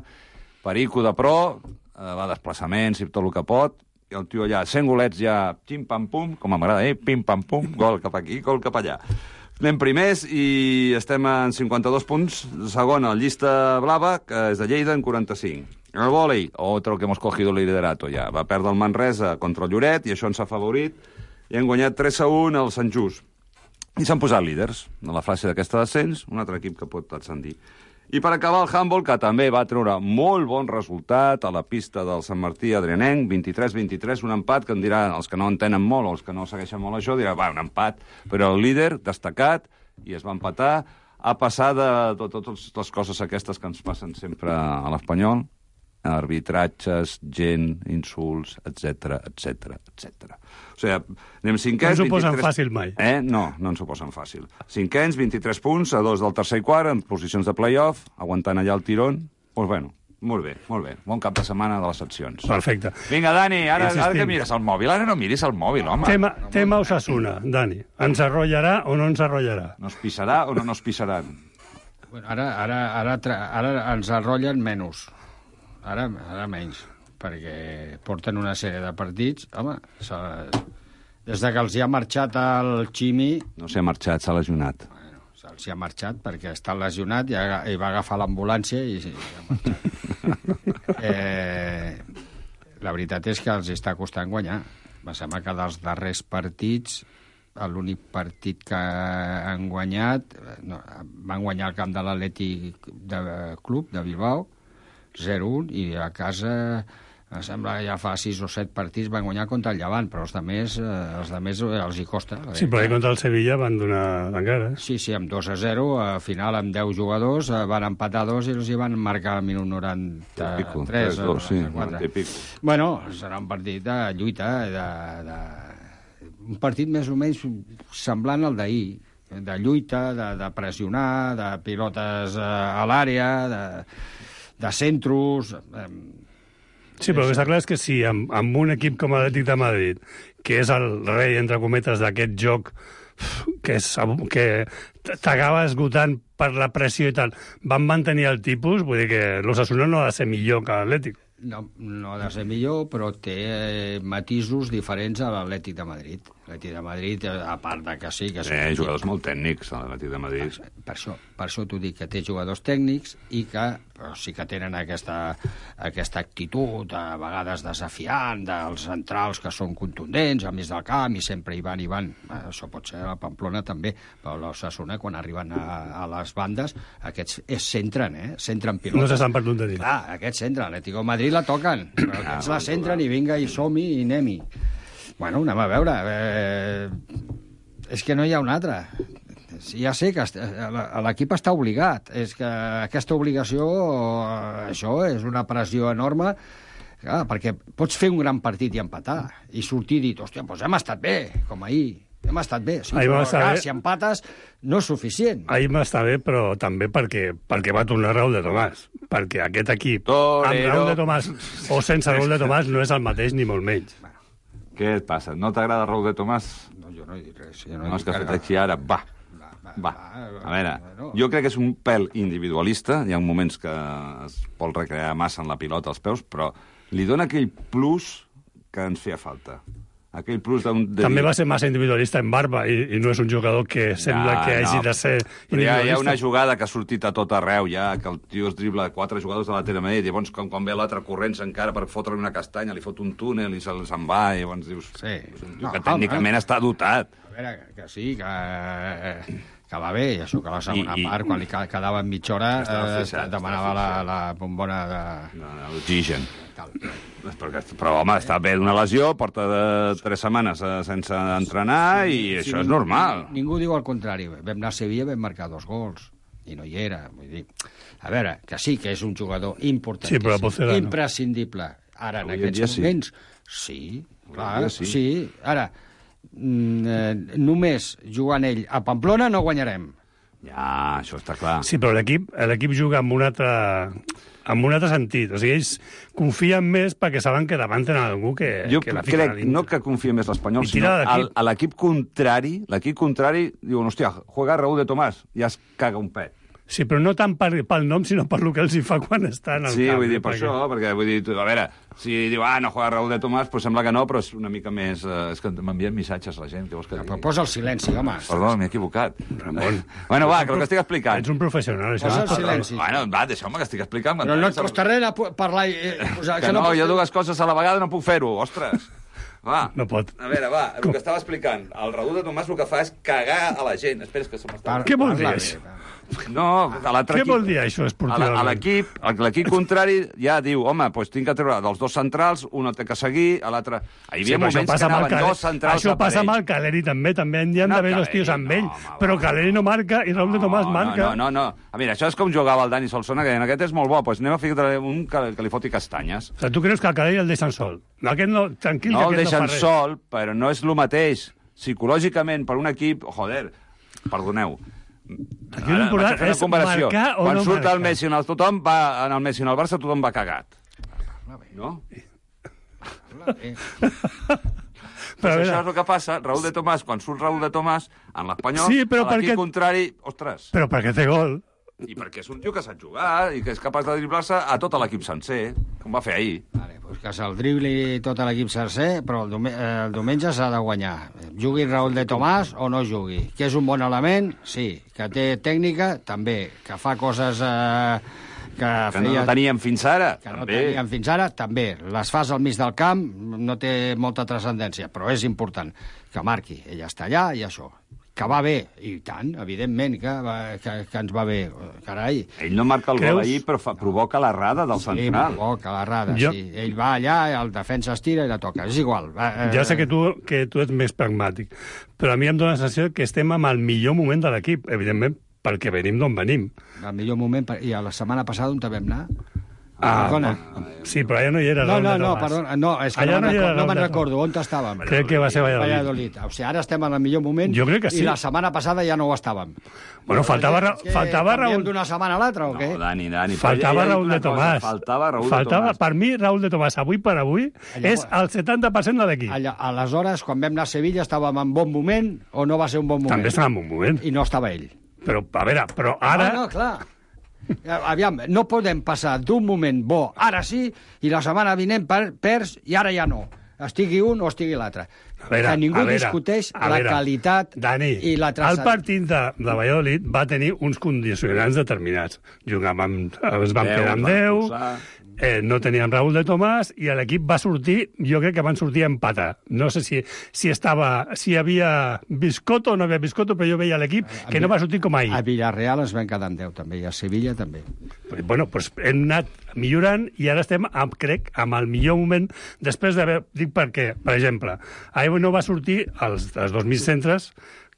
Perico de pro, va a desplaçaments i tot el que pot, i el tio allà, 100 golets ja, pim-pam-pum, com m'agrada, pim-pam-pum, gol cap aquí, gol cap allà. Anem primers i estem en 52 punts, segona, la llista blava, que és de Lleida, en 45. El vòlei, otro que hemos cogido el liderato ja, va perdre el Manresa contra el Lloret, i això ens ha favorit, i han guanyat 3-1 al Sant Just. I s'han posat líders, en la fase d'aquesta descens, un altre equip que pot ascendir. I per acabar el handball, que també va treure molt bon resultat a la pista del Sant Martí Adrianenc, 23-23, un empat que em diran, els que no entenen molt o els que no segueixen molt això, diran, un empat, però el líder destacat, i es va empatar, a passar de totes les coses aquestes que ens passen sempre a l'Espanyol, arbitratges, gent, insults, etc. O sigui, anem cinquens... No s'ho posen fàcil mai. No ens ho posen fàcil. Cinquens, 23 punts, a 2 del tercer i quart, en posicions de play-off, aguantant allà el tirón. Doncs bueno, molt bé. Bon cap de setmana de les seccions. Perfecte. Vinga, Dani, ara que mires el mòbil. Ara no miris el mòbil, home. Tema Osasuna, Dani. Ens arrollarà o no ens arrollarà? Nos pisarà o no nos pisaran? Bueno, ara ens arrollen menys. Ara menys, perquè porten una sèrie de partits. Home, des que els hi ha marxat el Ximi... No s'hi ha marxat, s'ha lesionat. Bueno, se'ls hi ha marxat perquè està lesionat i va agafar l'ambulància i ha marxat. La veritat és que els està costant guanyar. Em sembla que dels darrers partits, l'únic partit que han guanyat... van guanyar el camp de l'Atlètic Club de Bilbao, 0-1, i a casa, em sembla, ja fa 6 o 7 partits van guanyar contra el Llevant, però els altres els hi costa. Sí, però contra el Sevilla van donar encara. Sí, amb 2-0, al final amb 10 jugadors, van empatar 2 i els hi van marcar al minut 93 o 94. Bueno, serà un partit de lluita, un partit més o menys semblant al d'ahir, de lluita, de pressionar, de pilotes a l'àrea, de centros... Sí, però el que està clar és que si amb un equip com l'Atlètic de Madrid, que és el rei, entre cometes, d'aquest joc que t'acaba esgotant per la pressió i tal, van mantenir el tipus, vull dir que l'Osasuna no ha de ser millor que l'Atlètic. No ha de ser millor, però té matisos diferents a l'Atlètic de Madrid. L'Atlètic de Madrid, a part de que sí... jugadors molt tècnics, a l'Atlètic de Madrid. Per això t'ho dic, que té jugadors tècnics i que sí que tenen aquesta actitud, a vegades desafiant, dels centrals que són contundents, a més del camp, i sempre hi van. Això pot ser a Pamplona també, però l'Osasuna, quan arriben a les bandes, aquests centren pilotes. No s'estan per tonteries. Clar, aquests centren, l'Atlètic de Madrid la toquen, però aquests la centren i vinga, i som-hi, i anem-hi. Bueno, anem a veure. És que no hi ha un altre. Ja sé que l'equip està obligat. És que aquesta obligació, això és una pressió enorme, perquè pots fer un gran partit i empatar, i sortir i dir, hòstia, doncs hem estat bé, com ahir. Hem estat bé. Si empates, no és suficient. Ahir va estar bé, però també perquè va tornar Raúl de Tomàs. Perquè aquest equip, amb Raúl de Tomàs o sense Raúl de Tomàs, no és el mateix ni molt menys. Què et passa? No t'agrada Raúl de Tomàs? No, jo no he dit res. No, és que ha fet així ara, va. A veure, jo crec que és un pèl individualista, hi ha moments que es vol recrear massa en la pilota als peus, però li dona aquell plus que ens feia falta. Aquell plus També va ser massa individualista en barba i no és un jugador que sembla que hagi de ser individualista. Hi ha una jugada que ha sortit a tot arreu, ja, que el tio es dribla 4 jugadors de la Terramé, i llavors quan ve l'altre corrents encara per fotre-li una castanya, li fot un túnel i se'n va, i llavors dius... Sí. Que tècnicament està dotat. A veure, que sí, que va bé, i això que la segona part, quan li quedava mitja hora, demanava la bombona d'oxigen. Però, home, està bé d'una lesió, porta 3 setmanes sense entrenar i això és normal. Ningú diu el contrari. Vam anar a Sevilla, vam marcar 2 gols i no hi era. Vull dir, a veure, que sí que és un jugador importantíssim, imprescindible. Ara, en aquests moments, sí, clar, sí. Ara, només jugant ell a Pamplona no guanyarem. Ja, això està clar. Sí, però l'equip juga amb un altre sentit. O sigui, ells confien més perquè saben que davant tenen algú que jo crec, no que confia més l'Espanyol, sinó a l'equip contrari, diuen, hòstia, juega Raúl de Tomàs, ja es caga un pet. Sí, però no tant pel nom, sinó per el que els hi fa quan estan al camp. Sí, vull dir, per això, perquè, vull dir, a veure, si diu, no juega Raúl de Tomàs, doncs sembla que no, però és una mica més... És que m'envien missatges la gent, què vols que digui? Però posa el silenci, home. Perdó, m'he equivocat. Ramon. Bueno, va, que el que estic explicant. Ets un professional, això. Posa el silenci. Bueno, va, deixeu-me que estic explicant. Però no et costa res parlar... Que no, jo 2 coses a la vegada no puc fer-ho, ostres. Va, no pot. A veure, va, el que estava explicant. El Raúl de Tomàs el que fa és cagar a la gent. Esperes que se m'està... Què vol dir això? No, a l'altre equip... Què vol dir això, esportivament? A l'equip contrari ja diu, home, doncs tinc que treure dels 2 centrals, un el té que seguir, a l'altre... Hi havia moments que anaven 2 centrals això passa amb el Caleri, també hi han d'haver 2 tios amb ell, però Caleri no marca i Raúl de Tomàs marca. No. A veure, això és com jugava el Dani Solsona, que en aquest és molt bo, doncs anem a ficar un que li foti castanyes. O sigui, tu creus que el Caleri el deixen sol? Aquest no, tranquil, no el deixen sol, però no és el mateix. Psicològicament, per un equip... Joder, perdoneu. Aquí l'important és marcar o quan no surt marcar. el Messi en el Messi en el Barça, tothom va cagat. No? Però això és el que passa. Raúl de Tomàs, quan surt Raúl de Tomàs, en l'Espanyol, a l'equip contrari... Ostres. Però perquè té gol. I perquè és un tio que sap jugar i que és capaç de driblar-se a tot l'equip sencer, com va fer ahir. Vale, pues que se'l dribli tot l'equip sencer, però el diumenge s'ha de guanyar. Jugui Raúl de Tomàs o no jugui. Que és un bon element? Sí. Que té tècnica? També. Que fa coses... que no teníem fins ara? També. Les fas al mig del camp, no té molta transcendència, però és important que marqui. Ella està allà i això. Que va bé, i tant, evidentment que ens va bé, carai. Ell no marca el gol ahir, però provoca l'errada del central. Sí, provoca l'errada, sí. Ell va allà, el defensa es tira i la toca, és igual. Ja sé que tu ets més pragmàtic, però a mi em dóna la sensació que estem amb el millor moment de l'equip, evidentment, perquè venim d'on venim. El millor moment, i a la setmana passada on vam anar? Sí, però allà no hi era. Perdona, no, és que no me'n recordo on estàvem. Crec que va ser Valladolid. O sigui, ara estem en el millor moment i la setmana passada ja no ho estàvem. Bueno, faltava Raúl... d'una setmana a l'altra o què? No, Dani. Faltava Raúl de Tomàs. Faltava Raúl de Tomàs. Per mi, Raúl de Tomàs, avui per avui, és el 70% de l'equip. Aleshores, quan vam anar a Sevilla, estàvem en bon moment o no va ser un bon moment? També estava en bon moment. I no estava ell. Però, a veure, ara... No, clar. Aviam, no podem passar d'un moment bo, ara sí, i la setmana vinent perds i ara ja no. Estigui un o estigui l'altre. Que ningú discuteix la qualitat i la transcendència. El partit de Valladolid va tenir uns condicionants determinats. Jugàvem, es van quedar amb 10, no teníem Raúl de Tomàs i l'equip va sortir, jo crec que van sortir a empatar. No sé si hi havia biscotto o no havia biscotto, però jo veia l'equip que no va sortir com ahir. A Villarreal ens vam quedar amb 10 també, i a Sevilla també. Bueno, doncs hem anat millorant i ara estem, crec, amb el millor moment després d'haver... Dic perquè, per exemple, ahir no va sortir els 2 centres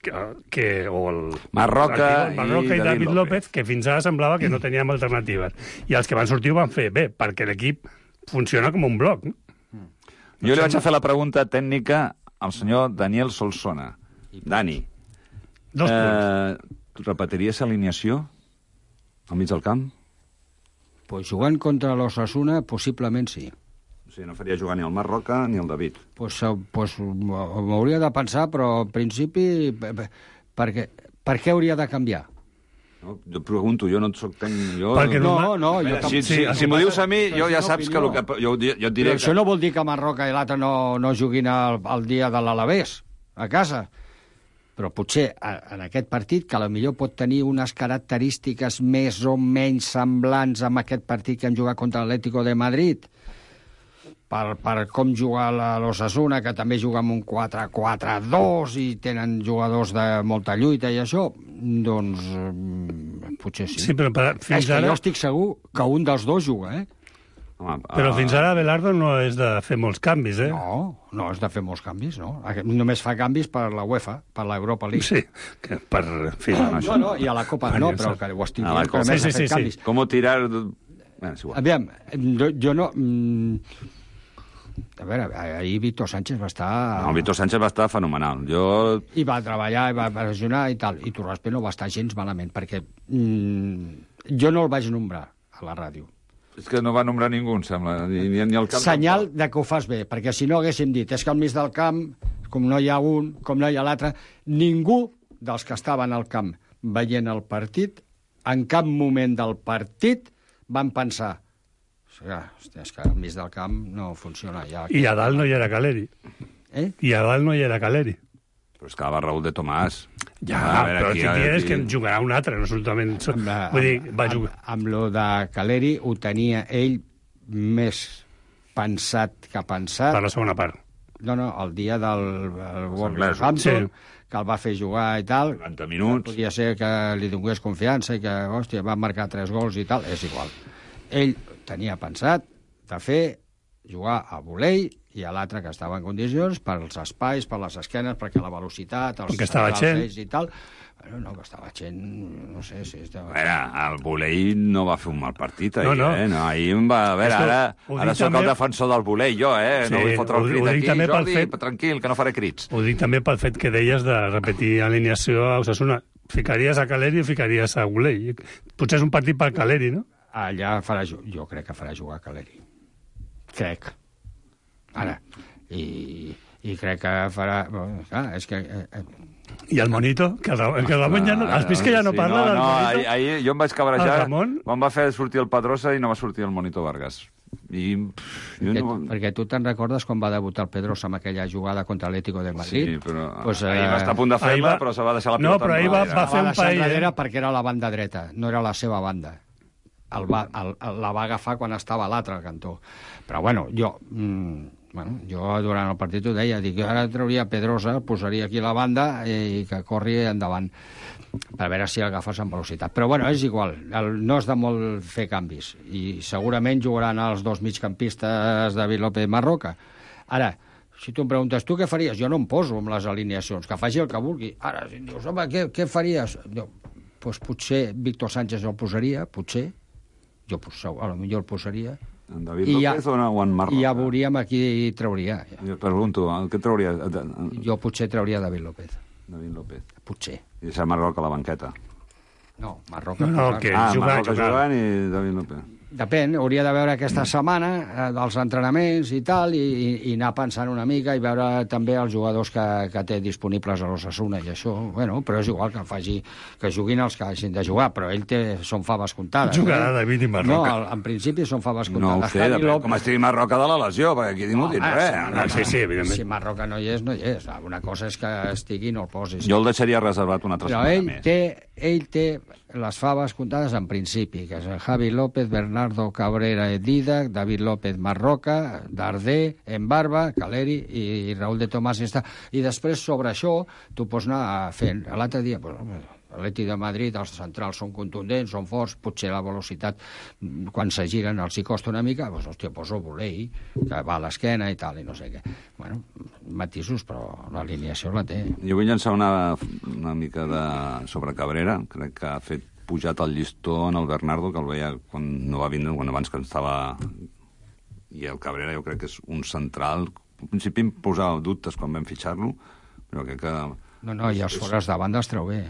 o el Marroca i David López, que fins ara semblava que no teníem alternatives. I els que van sortir ho van fer bé, perquè l'equip funciona com un bloc. Jo li vaig a fer la pregunta tècnica al senyor Daniel Solsona. Dani, 2 punts. Repetiries alineació al mig del camp? Pues jugant contra l'Osasuna, possiblement sí. sigui, no faria jugar ni el Marc Roca ni el David. Pues m'hauria de pensar, però en principi per què hauria de canviar? No, jo pregunto, jo no et soc tècnic... Si m'ho dius a mi, jo ja saps que... Jo et diré això no vol dir que Marroca i l'altre no juguin el dia de l'Alavés, a casa. Però potser en aquest partit, que potser pot tenir unes característiques més o menys semblants amb aquest partit que hem jugat contra l'Atlético de Madrid, per com jugar l'Osasuna, que també juga amb un 4-4-2 i tenen jugadors de molta lluita i això, doncs potser sí. Sí, però fins ara... Jo estic segur que un dels dos juga, Però fins ara Abelardo no és de fer molts canvis, No és de fer molts canvis, no. Només fa canvis per la UEFA, per l'Europa League. Sí, que per... No, i a la Copa no, però que ho estic dient, que només ha fet canvis. Com tirar... Aviam, jo no... A veure, ahir Víctor Sánchez va estar... No, Víctor Sánchez va estar fenomenal. I va treballar, i va pressionar i tal. I Torraspe no va estar gens malament, perquè jo no el vaig nombrar a la ràdio. És que no va nombrar ningú, em sembla. Ni el camp... Senyal de que ho fas bé, perquè si no haguéssim dit és que al mig del camp, com no hi ha un, com no hi ha l'altre, ningú dels que estaven al camp veient el partit, en cap moment del partit van pensar és que al mig del camp no funciona. I a dalt no hi era Caleri. I a dalt no hi era Caleri. Però és que va Raúl de Tomàs. Ja, però si tienes que en jugarà un altre, no absolutament... Vull dir, va jugar... Amb lo de Caleri ho tenia ell més pensat que pensat... Per la segona part. No, el dia del Wolverhampton, que el va fer jugar i tal... 90 minuts. Podia ser que li donés confiança i que, hòstia, va marcar 3 gols i tal, és igual. Ell tenia pensat de fer jugar a volei i a l'altre que estava en condicions per als espais, per les esquenes, perquè la velocitat, els centrals i tal... No, que estava gent... No sé si... A veure, el volei no va fer un mal partit, ahir, No, ahir em va... A veure, ara soc el defensor del volei, jo, No vull fotre el crit aquí, Jordi, tranquil, que no faré crits. Ho dic també pel fet que deies de repetir alineació a Osasuna. Ficaries a Caleri o ficaries a volei? Potser és un partit per Caleri, no? Allà jo crec que farà jugar Caleri. Crec. Ara. I crec que farà... és que... I el Monito? Que Ramon ja no... Has vist que ja no parla del Monito? Ahir jo em vaig cabrejar quan va fer sortir el Pedrosa i no va sortir el Monito Vargas. Perquè tu te'n recordes quan va debutar el Pedrosa amb aquella jugada contra l'Atlético de Madrid? Sí, però ahir va estar a punt de fer-la, però se va deixar la pilota. No, però ahir va fer un paell. Perquè era la banda dreta, no era la seva banda. La va agafar quan estava a l'altre cantó. Però jo durant el partit ho deia, dic, ara trauria Pedrosa, posaria aquí la banda i que corri endavant per veure si l'agafes amb velocitat. Però és igual, no és de molt fer canvis i segurament jugaran els dos migcampistes David López Marroca. Ara, si tu em preguntes, tu què faries? Jo no em poso amb les alineacions, que faci el que vulgui. Ara, si em dius, home, què faries? Doncs potser Víctor Sánchez el posaria, potser. Jo potser el posaria. En David López o en Marroca? I ja veuríem a qui trauria. Jo pregunto, què trauria? Jo potser trauria David López. David López. Potser. I deixar Marroca a la banqueta. No, Marroca... Marroca jugant i David López. Depèn, hauria de veure aquesta setmana dels entrenaments i tal, i anar pensant una mica i veure també els jugadors que té disponibles a l'Osasuna i això, però és igual que juguin els que hagin de jugar, però ell són faves comptades. Jugarà David i Marroca. No, en principi són faves comptades. No ho sé, depèn com estigui Marroca de la lesió, perquè aquí no dic res. Sí, evidentment. Si Marroca no hi és, no hi és. Una cosa és que estigui i no el posis. Jo el deixaria reservat una altra setmana més. Però ell té les faves comptades en principi, que és Javi López, Bernardo Cabrera Didac, David López Marroca, Darder, Embarba, Caleri i Raúl de Tomàs. I després, sobre això, tu pots anar fent. L'altre dia, l'Atlètic de Madrid, els centrals són contundents, són forts, potser la velocitat, quan se giren, els hi costa una mica, poso volei, que va a l'esquena i tal, i no sé què. Matisos, però l'alineació la té. Jo vull llançar una mica sobre Cabrera. Crec que ha fet pujat el llistó en el Bernardo, que el veia quan no va vindre, quan abans que estava... I el Cabrera jo crec que és un central. Al principi em posava dubtes quan vam fitxar-lo, però crec que... No, i els fores de banda es treu bé,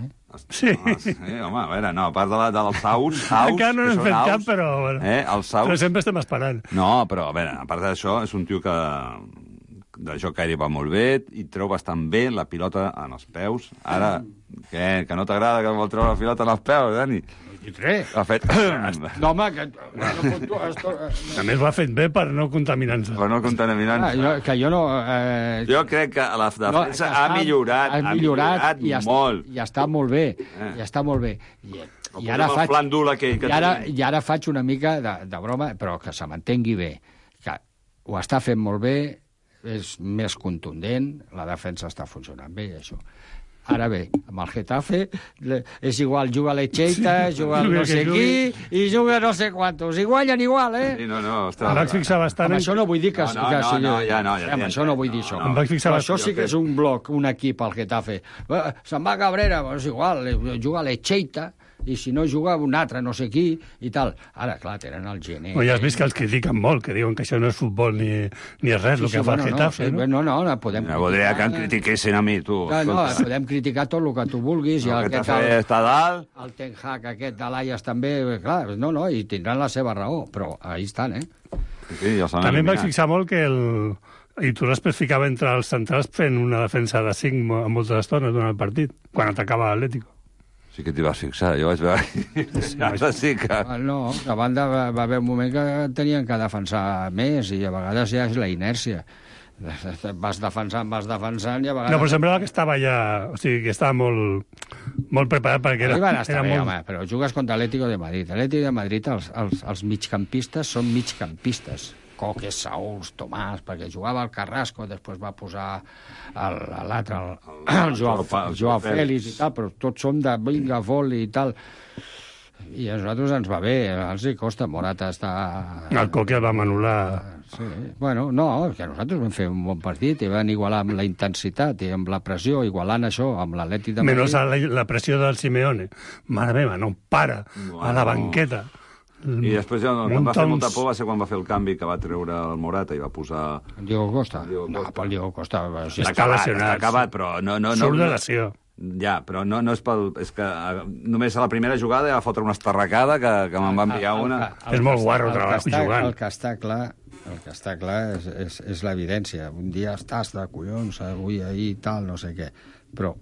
Sí. Home, a veure, no, a part dels saus... Encara no n'hem fet cap, però... Els saus... Però sempre estem esperant. No, però, a veure, a part d'això, és un tio que de joc aeri va molt bé, i treu bastant bé la pilota en els peus. Ara, què? Que no t'agrada que vol treure la pilota en els peus, Dani? I res. Ha fet... No, home, que... A més, ho ha fet bé per no contaminar-se. Per no contaminar-se. Que jo no... Jo crec que la defensa ha millorat molt. I està molt bé, i està molt bé. I ara faig... I ara faig una mica de broma, però que se m'entengui bé. Que ho està fent molt bé, és més contundent, la defensa està funcionant bé, això. Ara bé, amb el Getafe és igual, juga l'Echeita, juga no sé qui, i juga no sé quantos. I guanyen igual, eh? Sí, no, em vaig fixar bastant... Amb això no vull dir que... Amb això no vull dir això. Em vaig fixar això sí que és un bloc, un equip, el Getafe. Se'n va a Cabrera, és igual, juga l'Echeita, i si no juga un altre, no sé qui, i tal. Ara, clar, tenen el gener. Ja has vist que els critiquen molt, que diuen que això no és futbol ni és res, el que fa el Getafe, no? No, podem... No voldria que em critiquessin a mi, tu. No, podem criticar tot el que tu vulguis. El Getafe està dalt. El Ten Hag aquest de l'Aias també, clar, no, i tindran la seva raó, però ahí estan, Sí, ja també em vaig fixar molt que i tu després ficava entre els centrals fent una defensa de 5 a moltes estones durant el partit, quan atacava l'Atlético. Sí que t'hi vas fixar, jo vaig veure... Sí que... No, a banda va haver un moment que tenien que defensar més i a vegades ja és la inèrcia. Vas defensant i a vegades... No, però semblava que estava ja... O sigui, que estava molt preparat perquè era molt... Home, però jugues contra l'Atlético de Madrid. L'Atlético de Madrid, els migcampistes són migcampistes. Coque, Saúl, Tomàs, perquè jugava el Carrasco, després va posar l'altre, el Joao Félix i tal, però tots som de vinga, voli i tal. I a nosaltres ens va bé, els hi costa. Morata està... El Coque el vam anul·lar. Sí. Bueno, no, que nosaltres vam fer un bon partit i van igualar amb la intensitat i amb la pressió, igualant això amb l'Atlètic de Madrid. Menys la pressió del Simeone. Mare meva, no para a la banqueta. I després el que em va fer molta por va ser quan va fer el canvi que va treure el Morata i va posar... Diego Costa? No, pel Diego Costa... Està acabat, però no... Surt de lesió. Ja, però no és pel... És que només a la primera jugada ja va fotre una estarracada que me'n va enviar una... És molt guarro jugant. El que està clar és l'evidència. Un dia estàs de collons, avui, ahir, tal, no sé què. Però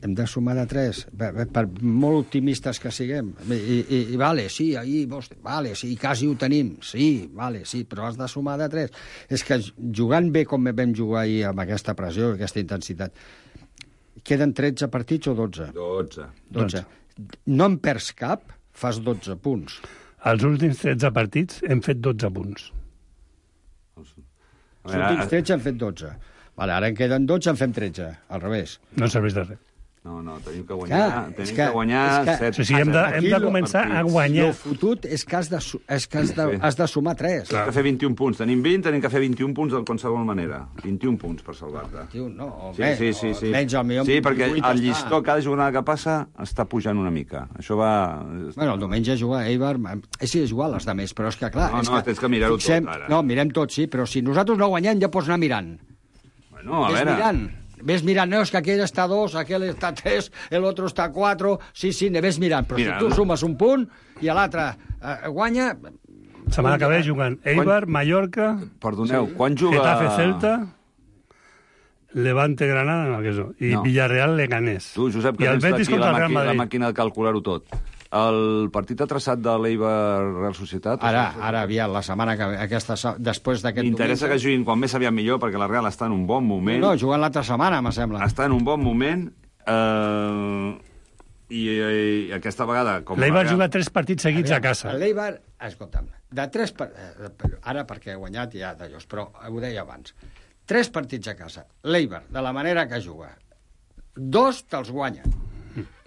hem de sumar de 3, per molt optimistes que siguem. I vale, sí, ahir, vale, sí, quasi ho tenim, sí, vale, sí, però has de sumar de 3. És que jugant bé com vam jugar ahir amb aquesta pressió, aquesta intensitat, queden 13 partits o 12? 12. No en perds cap, fas 12 punts. Els últims 13 partits hem fet 12 punts. Els últims 13 han fet 12. Vale, ara en queden 12, en fem 13, al revés. No serveix de res. No, tenim que guanyar. Tenim que guanyar 7. Sí, hem de començar a guanyar. El fotut és que has de sumar 3. Tenim que fer 21 punts. Tenim 20, tenim que fer 21 punts de qualsevol manera. 21 punts per salvar-te. Sí. Sí, perquè el llistó, cada jornada que passa, està pujant una mica. Això va... Bueno, el diumenge juga Eibar... Sí, és igual, els altres, però és que, clar... No, tens que mirar-ho tot, ara. No, mirem tot, sí, però si nosaltres no guanyem, ja pots anar mirant. Bueno, a veure... Ves mirant, no, és que aquell està 2, aquell està 3, l'altre està 4... Sí, ves mirant, però si tu sumes un punt i l'altre guanya... Setmana que ve jugant Eibar, Mallorca... Perdoneu, quan juga... Getafe, Celta... Levante, Granada, i Villarreal, Leganés. Tu, Josep, que tens aquí la màquina de calcular-ho tot. El partit ha traçat de l'Eibar Real Societat? Ara, aviat, la setmana que ve, després d'aquest diumenge... M'interessa que juguin quan més aviat millor, perquè la Real està en un bon moment. No, juguen l'altra setmana, me sembla. Està en un bon moment, i aquesta vegada... L'Eibar juga 3 partits seguits a casa. L'Eibar, escolta'm, ara perquè ha guanyat ja d'allòs, però ho deia abans. 3 partits a casa. L'Eibar, de la manera que juga. 2 te'ls guanyen.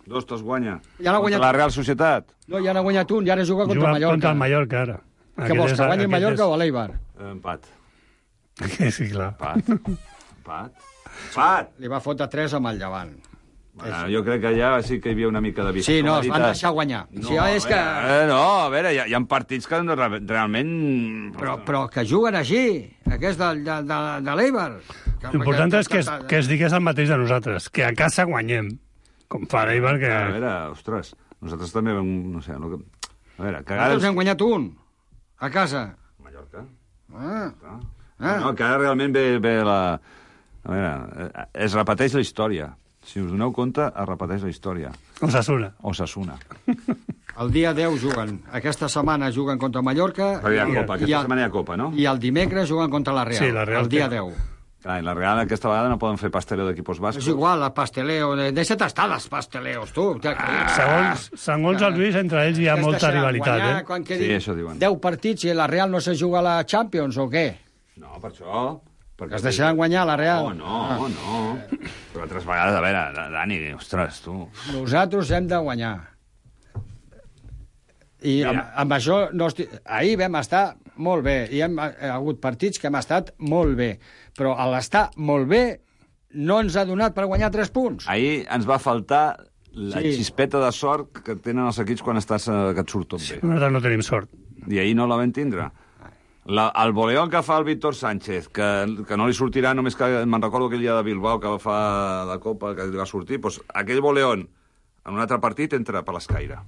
2 te'ls guanya. Ja contra la Real Societat. No, ja n'ha guanyat un, i ara juga contra el Mallorca. Contra el Mallorca, ara. Què vols, que guanyi el Mallorca o l'Eibar? Empat. Sí, clar. Empat. Li va fotre 3 amb el Llevant. Bueno, jo crec que ja sí que hi havia una mica de vista. Sí, no, es van deixar guanyar. A veure, hi ha partits que realment... Però que juguen així, aquest de l'Eibar. L'important és que es digués el mateix de nosaltres, que a casa guanyem. Com fa l'Eibar, que... A veure, ostres, nosaltres també vam... No sé, a veure, cagades... Nosaltres hem guanyat un, a casa. Mallorca. Ah. No, que ara realment ve la... A veure, es repeteix la història. Si us doneu compte, es repeteix la història. Osasuna. El dia 10 juguen. Aquesta setmana juguen contra Mallorca. Però hi ha Copa, aquesta setmana hi ha Copa, no? I el dimecres juguen contra la Real. Sí, la Real. El dia 10. Clar, la Real aquesta vegada no poden fer pasteleo d'equipos bascos. És igual, el pasteleo. Deixa't estar dels pasteleos, tu. Segons el Lluís, entre ells hi ha molta rivalitat, Sí, això diuen. 10 partits i la Real no se juga a la Champions, o què? No, per això... Que es deixaran guanyar la Real. No. Però altres vegades, a veure, Dani, ostres, tu... Nosaltres hem de guanyar. I amb això... Ahir vam estar molt bé. Hi ha hagut partits que hem estat molt bé. Però a l'estar molt bé no ens ha donat per guanyar 3 punts. Ahir ens va faltar la xispeta de sort que tenen els equips quan que et surt tot bé. Nosaltres no tenim sort. I ahir no la vam tindre. El voleón que fa el Víctor Sánchez, que no li sortirà només que... Me'n recordo aquell dia de Bilbao que va fer de Copa, que li va sortir, doncs aquell voleón en un altre partit entra per l'escaire.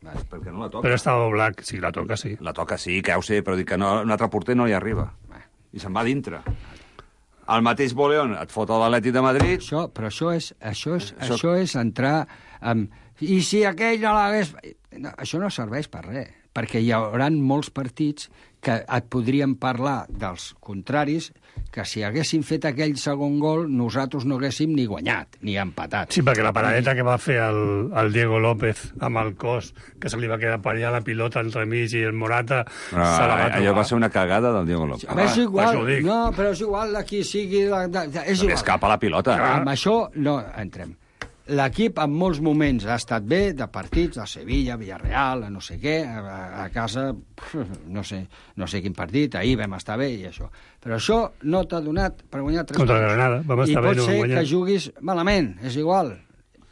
Perquè no la toca. Però està Oblak, sí, la toca, sí. La toca, sí, que ja ho sé, però dic que no, un altre porter no hi arriba. I se'n va dintre. El mateix voleón et fot a l'Atlètic de Madrid... Però això és entrar... I si aquell no l'hagués... No, això no serveix per res, perquè hi haurà molts partits que et podríem parlar dels contraris, que si haguéssim fet aquell segon gol, nosaltres no haguéssim ni guanyat, ni empatat. Sí, perquè la paradeta que va fer el Diego López amb el cos, que se li va quedar per allà la pilota entremig i el Morata se la va trobar. Allò va ser una cagada del Diego López. És igual, però és igual de qui sigui... És igual. Escapa la pilota. Amb això no entrem. L'equip en molts moments ha estat bé, de partits, de Sevilla, Villarreal, no sé què, a casa, no sé quin partit, ahir vam estar bé i això. Però això no t'ha donat per guanyar 3 Contra Granada, vam estar bé, no vam guanyar. I pot ser que juguis malament, és igual,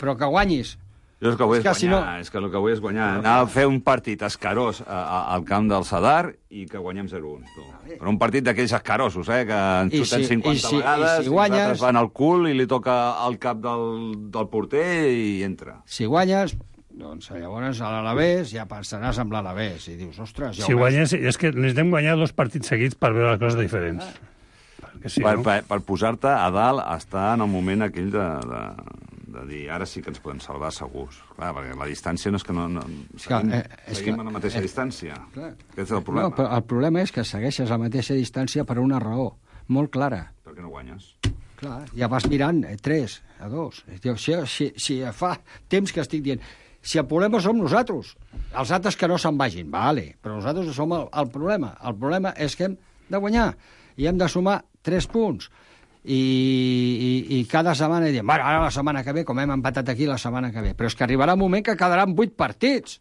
però que guanyis. Jo el que vull és guanyar, és que el que vull és guanyar. Anar a fer un partit escarós al camp del Sadar i que guanyem 0-1. Però un partit d'aquells escarosos, que ens xuten 50 vegades, i nosaltres van al cul i li toca al cap del porter i entra. Si guanyes, doncs llavors a l'Alavés ja pensaràs amb l'Alavés i dius, ostres... Si guanyes, és que necessitem guanyar 2 partits seguits per veure les coses diferents. Sí, per posar-te a dalt, estar en el moment aquell de dir, ara sí que ens podem salvar segurs. Clar, perquè la distància no és que no seguim a la mateixa distància. Aquest és el problema. No, però el problema és que segueixes a la mateixa distància per una raó molt clara. Per què no guanyes? Clar, ja vas mirant 3-2. Si fa temps que estic dient, si el problema som nosaltres, els altres que no se'n vagin, vale, però nosaltres som el problema. El problema és que hem de guanyar i hem de sumar 3 punts. I cada setmana diem, bueno, ara la setmana que ve, com hem empatat aquí la setmana que ve, però és que arribarà un moment que quedaran 8 partits.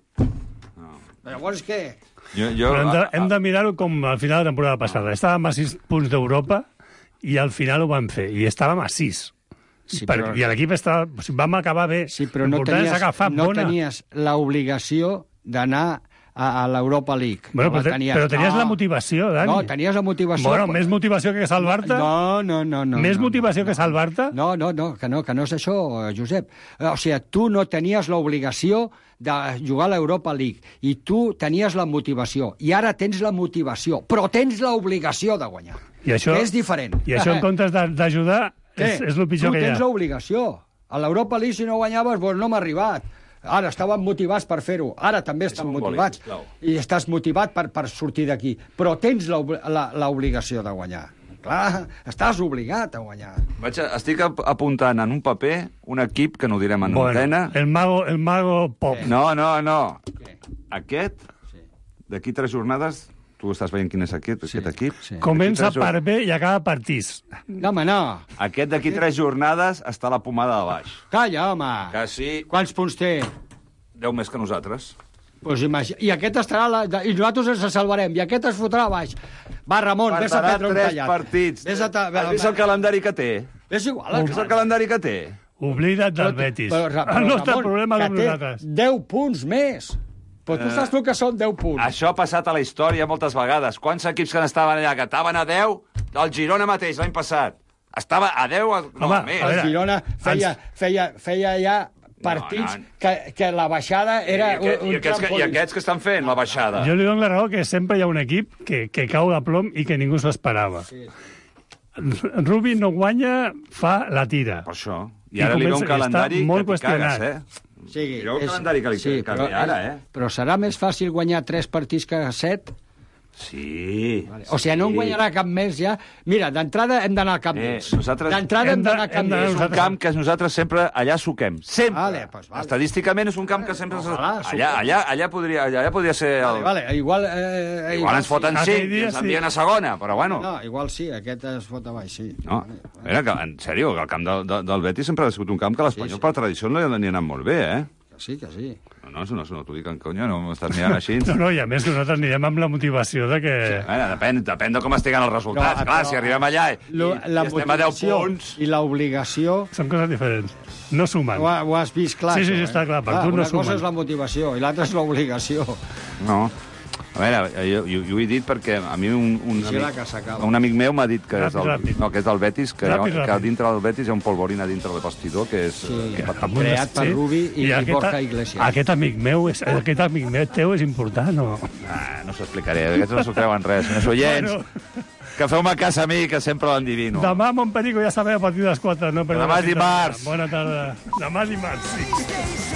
Llavors què? Hem de mirar-ho com al final de la temporada passada. Estàvem a 6 punts d'Europa i al final ho vam fer, i estàvem a 6. Sí, però... I l'equip estava... vam acabar bé. Sí, però no tenies l'obligació d'anar a l'Europa League. Bueno, però tenies la motivació, Dani. No, tenies la motivació... Bueno, més motivació que salvar-te? No. Més motivació que salvar-te? No, que no és això, Josep. O sigui, tu no tenies l'obligació de jugar a l'Europa League i tu tenies la motivació. I ara tens la motivació, però tens l'obligació de guanyar. I això, és diferent. I això, en comptes d'ajudar, és el pitjor que hi ha. Tu tens l'obligació. A l'Europa League, si no guanyaves, doncs no m'ha arribat. Ara estàvem motivats per fer-ho. Ara també estem motivats. I estàs motivat per sortir d'aquí. Però tens l'obligació de guanyar. Clar, estàs obligat a guanyar. Estic apuntant en un paper un equip que no ho direm en antena. El mago pop. No. Aquest, d'aquí 3 jornades... Tu estàs veient quin és aquest equip? Sí. Comença per bé i acaba per tis. No, home, no. Aquest d'aquí 3 jornades està a la pomada de baix. Calla, home. Que sí. Quants punts té? 10 més que nosaltres. Pues I aquest estarà... I nosaltres ens salvarem. I aquest es fotrà a baix. Va, Ramon, vés a prendre un tallat. Partits. Has vist el calendari que té? És igual. És el calendari que té? Oblida't del Betis. El nostre problema és nosaltres. 10 punts més. Però tu saps tu que són 10 punts. Això ha passat a la història moltes vegades. Quants equips que estaven allà, que estaven a 10, el Girona mateix l'any passat. Estava a 10... El Girona feia ja partits que la baixada era un trampolí. I aquests que estan fent la baixada? Jo li dono la raó que sempre hi ha un equip que cau de plom i que ningú s'ho esperava. Sí. Rubi no guanya, fa la tira. Per això. I ara li ve un calendari que t'hi cagues, Sí, jo el calendari que li ara, Però serà més fàcil guanyar 3 partits que 7? Sí. Vale. O sigui, no en guanyarà cap més ja. Mira, d'entrada hem d'anar al camp d'ells. D'entrada hem d'anar al camp d'ells. És un camp que nosaltres sempre allà suquem. Sempre. Vale. Estadísticament és un camp que sempre... Allà podria ser... Vale. Igual ens foten 5 i ens envien a segona, però bueno. No, igual sí, aquest es fot a baix, sí. No, en sèrio, el camp del Betis sempre ha sigut un camp que l'Espanyol per tradició li ha anat molt bé, Sí, que sí. No, t'ho dic en conya, no m'estàs mirant així. No, i a més que nosaltres anirem amb la motivació de que... Sí, depèn de com estiguen els resultats. Clar, si arribem allà i estem a 10 punts... I l'obligació... Són coses diferents. No sumen. Ho has vist clar, Sí, està clar. Per tu no sumen. Una cosa és la motivació i l'altra és l'obligació. No. A veure, jo ho he dit perquè a mi un amic meu m'ha dit que és del Betis, que dintre del Betis hi ha un polvorina dintre del vestidor que és... Creat per Rubi i Borja Iglesias. Aquest amic meu teu és important, o...? No s'ho explicaré, aquests no s'ho creuen res. Senyors oients, que feu-me cas a mi, que sempre l'endivino. Demà, Montperico, ja sabeu, a partir de les 4. Demà és dimarts. Bona tarda. Demà dimarts, sí.